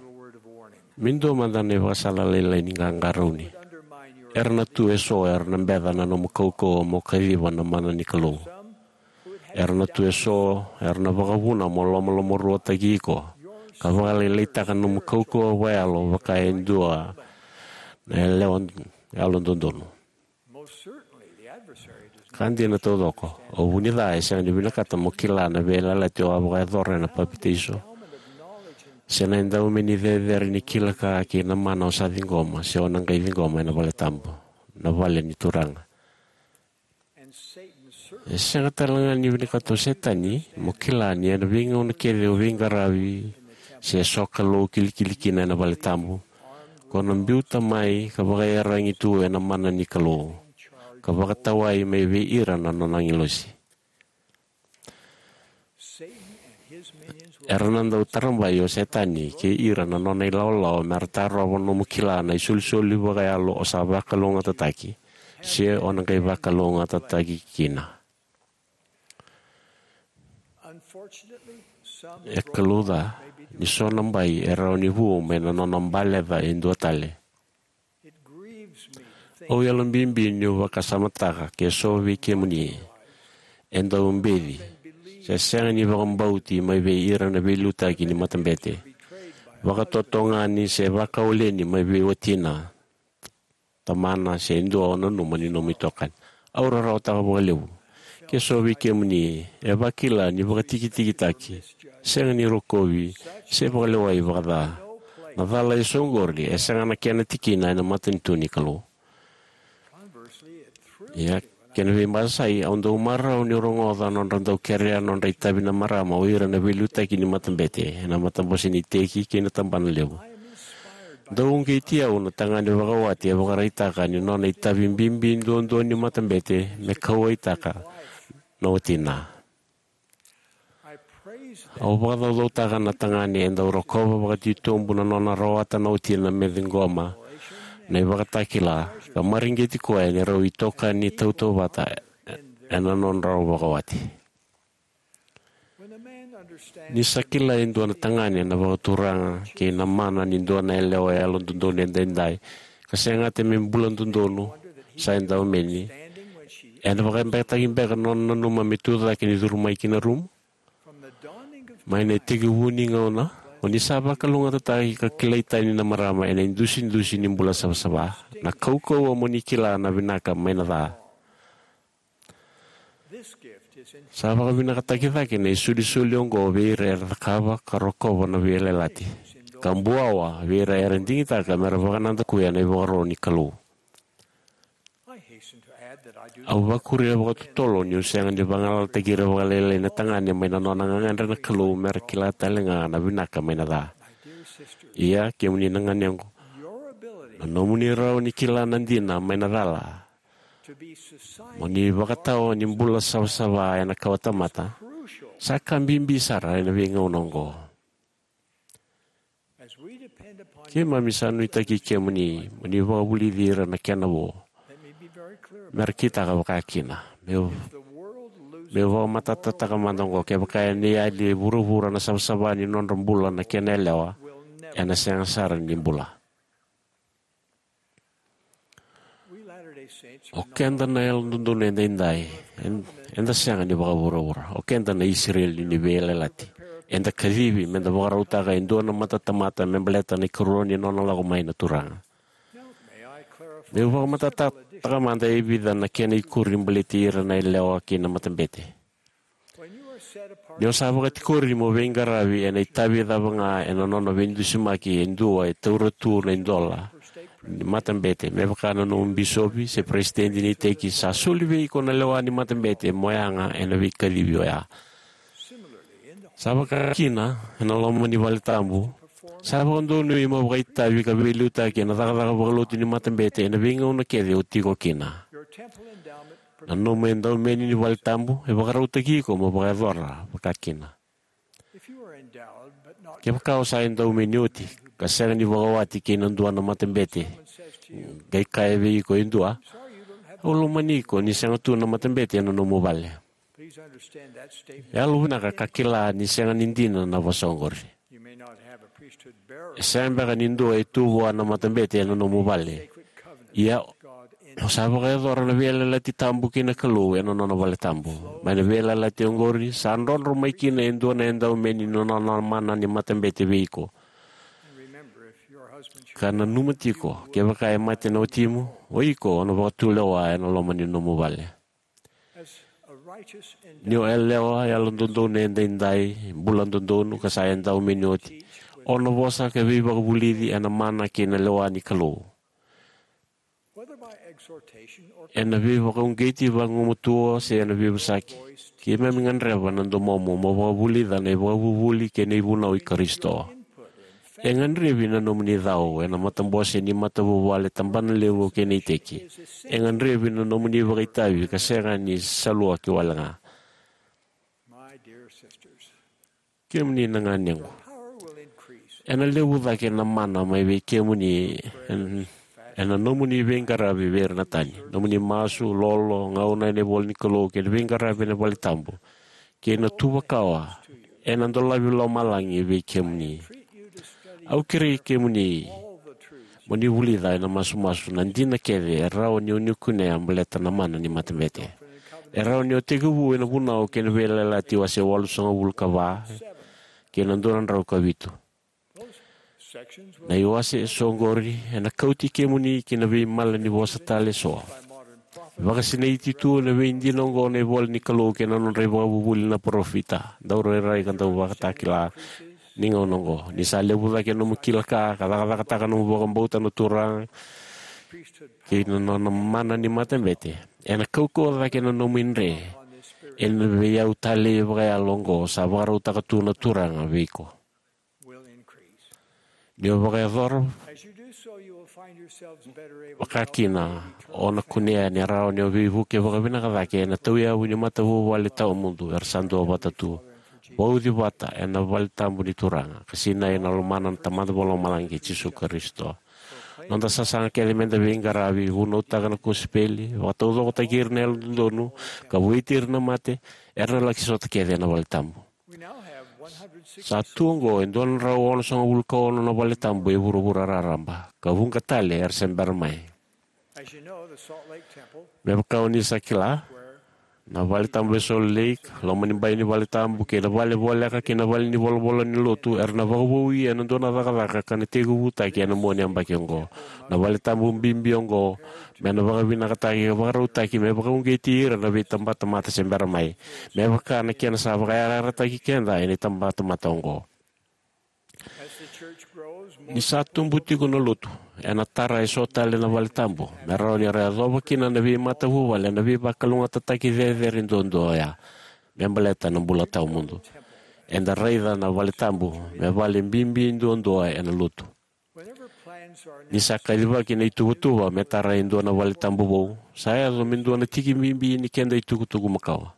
me dua mada na ivakasala lailai ni qaqarauni. Era na tu eso era na beca na nomu kaukauwa mo kaciva na mana ni Kalou. Era na tu eso era na vakavuna mo lomalomaruataki iko ka vakalailaitaka na nomu kaukauwa vakayalo vaka e dua na yalewa yalododonu. Ka dina taucoko, o vunica e sega ni vinakata mo kila na veiyalayalati o a vakayacora ena papitaiso, se na edaumeni cecere ni kila ka kei na mana o sa ciqoma se o na qai ciqoma ena vale tabu, na vale ni Turaga. E sega tale ga ni vinakata o Setani mo kila ni ena veigauna kece o veiqaravi se sokalou kilikili kina ena vale tabu, ko na biuta mai ka vakaiyaragi tu ena mana ni Kalou, ka vakatawai mai vei ira na nona agilosi. Era na dau tarabai o Setani kei ira na nona ilawalawa mera tarova nomu kila na isolisoli vakayalo o sa vakalougatataki se o na qai vakalougatataki kina. E kalouca ni so na bai e rawa ni vu mai na nona baleca e dua tale. Au yalobibi niu vakasamataka ke so vei kemuni e dau beci se sega ni vakabauti mai vei ira na veiliutaki ni matabete, vakatotogani se vakawaleni mai vei watina, tamana, se dua o nanuma ni nomu itokani. Au rarawataka vakalevu ke so vei kemuni e vakila ni vakatikitikitaki, sega ni rokovi, se vakalewai vakaca. Na cala eso oqori e sega na kena tikina ena matanitu ni Kalou. Ia, kena veibasai, au dau marau niu rogoca nodra dau kerea nodra itavi na marama o ira na veiliutaki ni matabete ena matabose ni iteki kei na tabana levu. Dau uqeti au na tagane vakawati e vakaraitaka ni nona itavi bibi duadua ni matabete me kauwaitaka na watina. Au vakacaucautaka na tagane e dau rokova vakatitobu na nona rawata na watina me ciqoma na ivakatakila ka mareqeti koya ni rau itokani tautauvata ena nodrau vakawati. Ni sa kila e dua na tagane na vakaturaga kei na mana ni dua na yalewa yalododonu edaidai, ka segata me bula dodonu sa e daumeni, ena vakabekataki beka na nona nanuma me tucake ni curu mai ki na rumu? Mai na itekivu ni gauna, o ni sa vakalougatataki ka kilai tani na marama ena idusidusi ni bula savasava. Na kaukauwa mo ni kila na vinaka mai na ca. Sa vakavinakataki cake na isolisoli oqo vei ira era cakava ka rokova na veiyalayalati, ka buawa vei ira era digitaka me ra vakanadakuya na ivakaro ni Kalou. Au vakuria vakatotolo niu sega ni vagalalataki ira vakalailai na tagane mai na nona gagadre na Kalou me ra kila tale ga na vinaka mai na ca. Ia, kemuni na ganequ, na nomuni rawa ni kila na dina mai na cala mo ni vakatawa ni bula savasava ena kawatamata, sa ka bibi sara ena veigauna oqo. Keimami sa nuitaki kemuni mo ni vakavulici ira na kena vo me ra kitaka vakakina. Meu, meu vakamatatataka mada oqo, kevaka ena yali e vuravura na savasava ni nodra bula na kena yalewa, ena sega sara ni bula. O keda na yalododonu edaidai, eda sega ni vakavuravura. O keda na Isireli ni veiyalayalati. Eda kacivi meda vakarautaka e dua na matatamata me baleta na ikarua ni nona lako mai na Turaga. Meu vakamatatataka mada e vica na kena ikuri baleti ira na yalewa kei na matabete. Ni o sa vakatikori mo veiqaravi ena itavi cava ga ena nona veidusimaki e dua e taura tu na idola ni matabete, me vaka na nomu bisopi se peresitedi ni iteki, sa soli vei iko na lewa ni matabete mo yaga ena veikacivi oya. Sa vakakina, ena loma ni vale tabu, sa vakadonui mo vakaitavi ka veiliutaki ena cakacaka vakalotu ni matabete ena veigauna kece o tiko kina. Na nomu edaumeni ni vale tabu e vakarautaki iko mo vakayacora vakakina. Kevaka o sa edaumeni oti ka sega ni vakawati kei na dua na matabete, qai kaya vei iko e dua, "Au lomani iko ni sega tu na matabete ena nomu vale." Yalovinaka ka kila ni sega ni dina na vosa oqori. E sega beka ni dua e tu vua na matabete ena nomu vale. Ia, o sa vakayacora na veiyalayalati tabu kei na Kalou ena nona vale tabu. Mai na veiyalayalati oqori, sa drodro mai kina e dua na edaumeni ni nona mana ni matabete vei iko. Ka nanuma tiko, kevaka e mate na watimu, o iko o na vakatulewa ena loma ni nomu vale. Ni o yalewa yalododonu edaidai, bula dodonu ka sa edaumeni oti, o na vosa ka veivakavulici ena mana kei na lewa ni Kalou. Ena veivakauqeti vagumatua se ena veivosaki, keimami gadreva na domomu mo vakavulica na ivakavuvuli kei na ivunau i Karisito. E gadrevi na nomuni cau ena matabose ni matavuvale, tabana levu kei na iteki. E gadrevi na nomuni vakaitavi ka sega ni salua ki wale ga. Kemuni na ganequ, ena levu cake na mana mai vei kemuni en-, ena nomuni veiqaravi vei ira na tani, nomuni masu, lolo, gauna ena ivola ni Kalou, kei na veiqaravi ena vale tabu, kei na tuvakawa ena dolavi lomalagi vei kemuni. Au kerei kemuni mo ni vulica ena masumasu na dina kece e rawa ni o ni kunea baleta na mana ni matabete. E rawa ni o tekivu ena Vunau kei na Veiyalayalati wase walusagavulu ka va kei na dua na drau ka vitu. Na iwase eso oqori ena kauti kemuni ki na veimala ni vosa tale eso. Vakasinaiti tu ena veidina oqo na ivola ni Kalou kei na nodra ivakavuvuli na parofita, daurairai ka dauvakatakila ni gauna oqo. Ni sa levu cake na nomu kila ka, ka cakacakataka na nomu vakabauta na Turaga kei na nona mana ni matabete, ena kaukauwa cake na nomu idre ena veiyau talei vakayalo oqo sa vakarautaka tu na Turaga vei iko. Ni o vakayacora vakakina, o na kunea ni rawa ni o veivuke vakavinaka cake ena tauyavu ni matavuvale tawamudu era sa duavata tu. Vauci vata ena vale tabu ni Turaga, ka sinai ena lomana na Tamada Vakalomalagi kei Jisu Karisito. Noda sasaga kece meda veiqaravi, vunautaka na kosipeli, vakataucokotaki ira na yalododonu, ka vueti ira na mate, era na laki sota kece ena vale tabu. Sa tu oqo e dua na drau onosagavulu ka ono na vale tabu e vuravura raraba, ka vuqa tale era se bera mai. Me vaka o ni sa kila, na vale tabu e Salt Lake, loma ni bai ni vale tabu, kei na vale voleka kei na vale ni volavola ni lotu era na vakavoui ena dua na cakacaka ka na tekivutaki ena mua ni yabaki oqo. Na vale tabu bibi oqo me na vakavinakataki ka vakarautaki me vakauqeti ira na veitabatamata se bera mai, me vaka na kena sa vakayarayarataki keda ena itabatamata oqo. Ni sa tubu tiko na lotu, ena tara eso tale na vale tabu me rawa ni ra yacova kina na veimatavuvale na veivakalougatataki cecere duadua oya me baleta na bula tawamudu. Eda raica na vale tabu me vale bibi duadua ena lotu. Ni sa kacivaki na ituvatuva me tara e dua na vale tabu vou, sa yaco me dua na tiki bibi ni keda itukutuku makawa.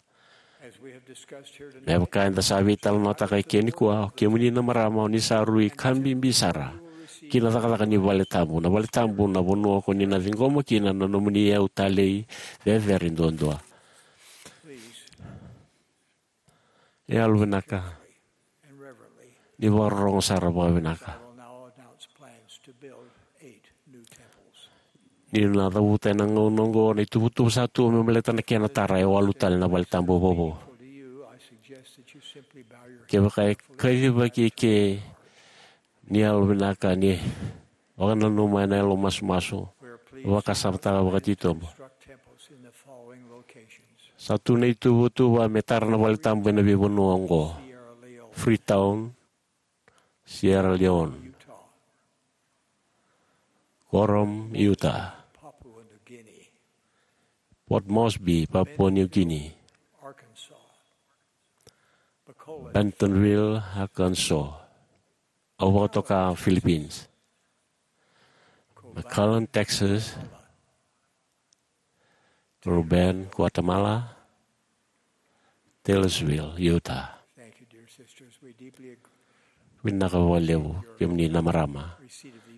Me vaka eda sa veitalanoataka eke nikua, o kemuni na marama, o ni sa rui ka bibi sara ki na cakacaka ni vale tabu. Na vale tabu na vanua ko ni na ciqoma kina na nomuni iyau talei cecere duadua. Yalovinaka, ni vakarorogo sara vakavinaka. Ni na cavuta ena gauna oqo na ituvatuva sa tu me baleta na kena tara e walu tale na vale tabu vovou. Kevaka e kacivaki eke, ni yalovinaka ni vakananuma ena yalo masumasu, vakasamataka vakatitobu. Sa tu na ituvatuva me tara na vale tabu ena veivanua oqo: Freetown, Sierra Leone; Coram, Utah; Port Moresby, Papua New Guinea; Bentonville, Arkansas, au vakatoka, Philippines; McAllen, Texas; Ruben, Guatemala; Taylorsville, Utah. Vinaka vakalevu, kemuni na marama.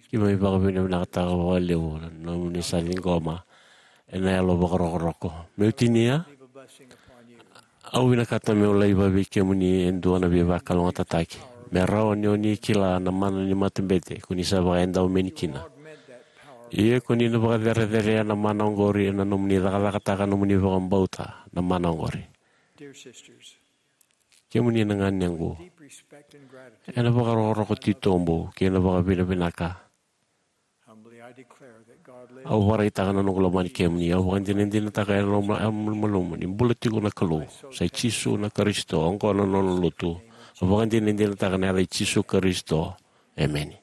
Keimami vakavinavinakataka vakalevu na nomuni sa ciqoma ena yalo vakarokoroko. Meu tinia, au vinakata meu laiva vei kemuni e dua na veivakalougatataki me rawa ni o ni kila na mana ni matabete ko ni sa vakaedaumeni kina. Ia ko ni na vakacerecerea na mana oqori ena nomuni cakacakataka nomuni vakabauta na mana oqori. Kemuni na ganequ, ena vakarokoroko titobu kei na vakavinavinaka, au vakaraitaka na noqu lomani kemuni. Au vakadinadinataka ena malumalumu ni bula tiko na Kalou, sa i Jisu na Karisito, oqo na nona lotu. Au vakadinadinataka ena yaca i Jisu Karisito, emeni.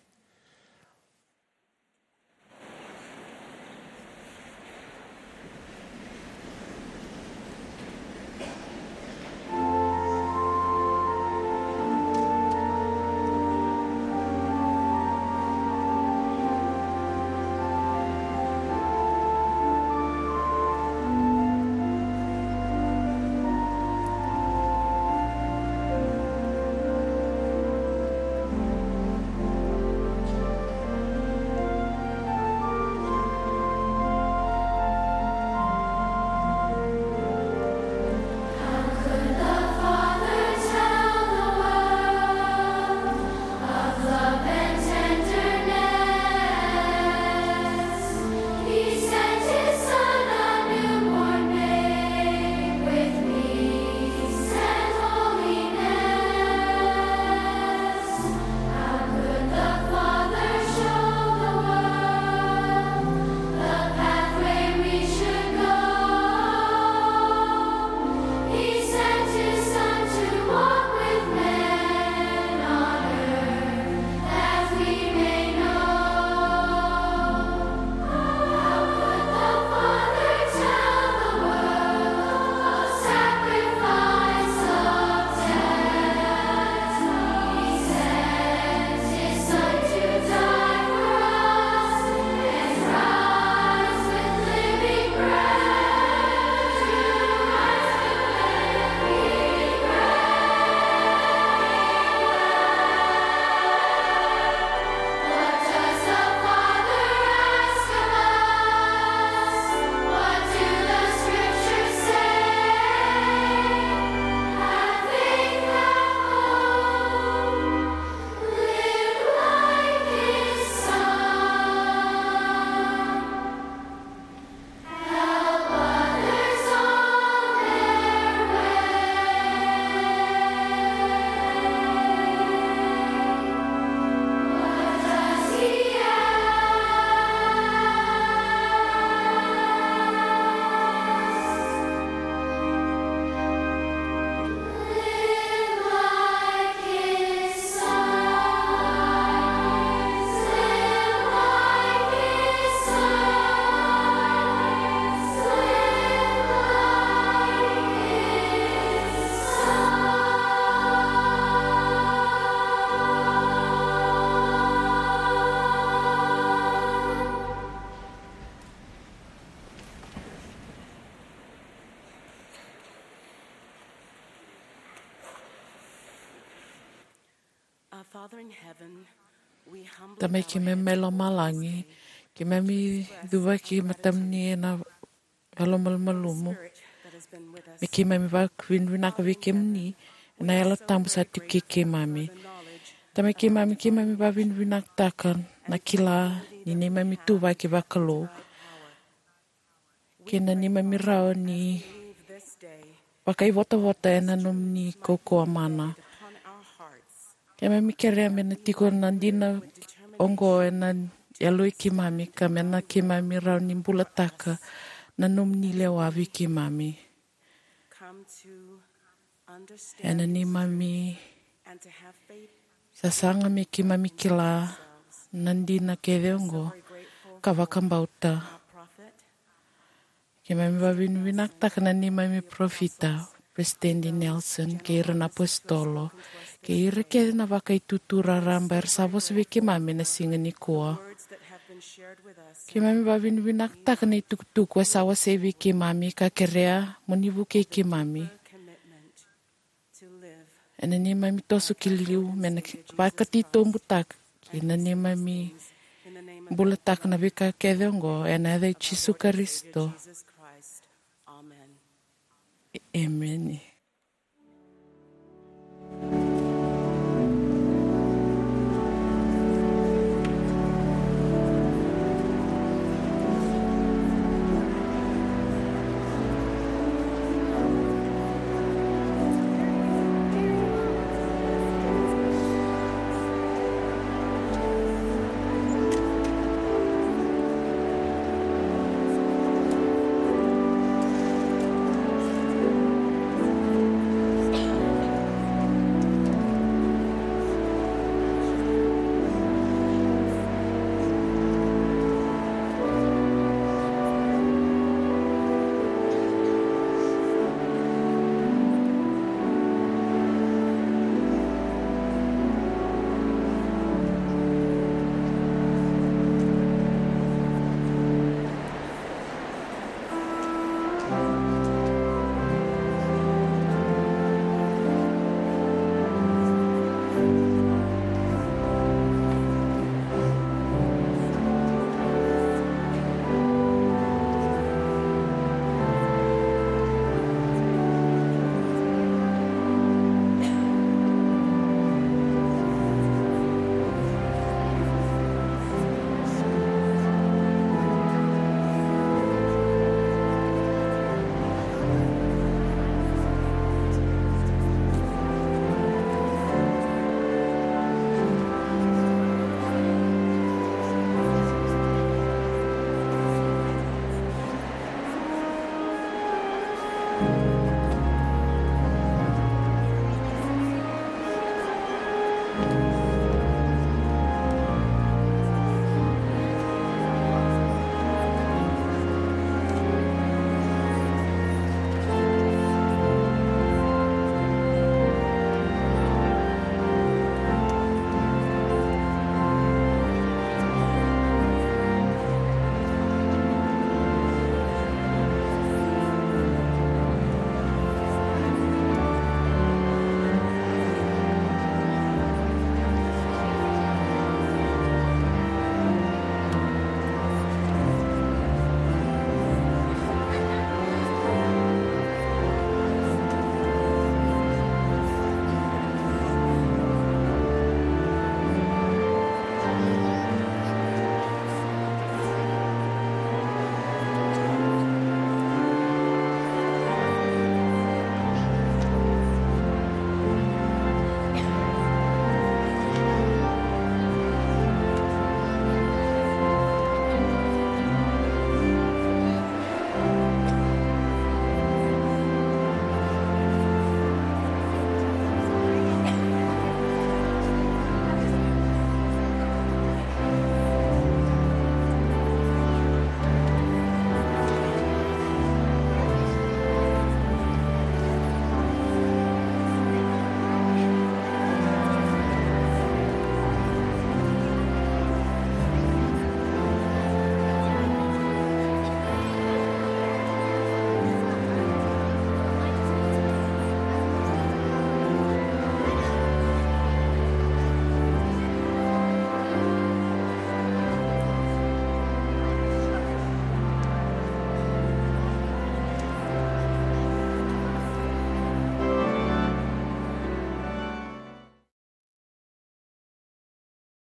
Father in heaven, we humbly Tamai bow keimami mai lomalagi, keimami cuvaki matamuni ena yalomalumalumu. Spirit that has been with us. Me keimami vakavinavinaka vei kemuni ena Yalo Tabu sa tiko kei keimami. Tamai keimami, keimami vakavinavinakataka na kila ni neimami ituvaki vakalou kei na neimami rawa ni vakaivotavota ena nomuni kaukauwa mana. Keimami kerea me na tiko na dina oqo ena yaloi keimami ka me na keimami rawa ni bulataka na nomuni lewa vei keimami. Ena neimami sasaga me keimami kila na dina kece oqo ka vakabauta. Keimami vakavinavinakataka na neimami parofita, Peresitedi Nelson, kei ira na apositolo, kei ira kece na vakaitutu raraba era sa vosa vei keimami ena siga nikua. Keimami vakavinavinakataka na itukutuku e sa wasei vei keimami ka kerea mo ni vukei keimami ena neimami toso ki liu me na vakatitobutaka kei na neimami bulataka na veika kece oqo ena yaca i Jisu Karisito. Emeni.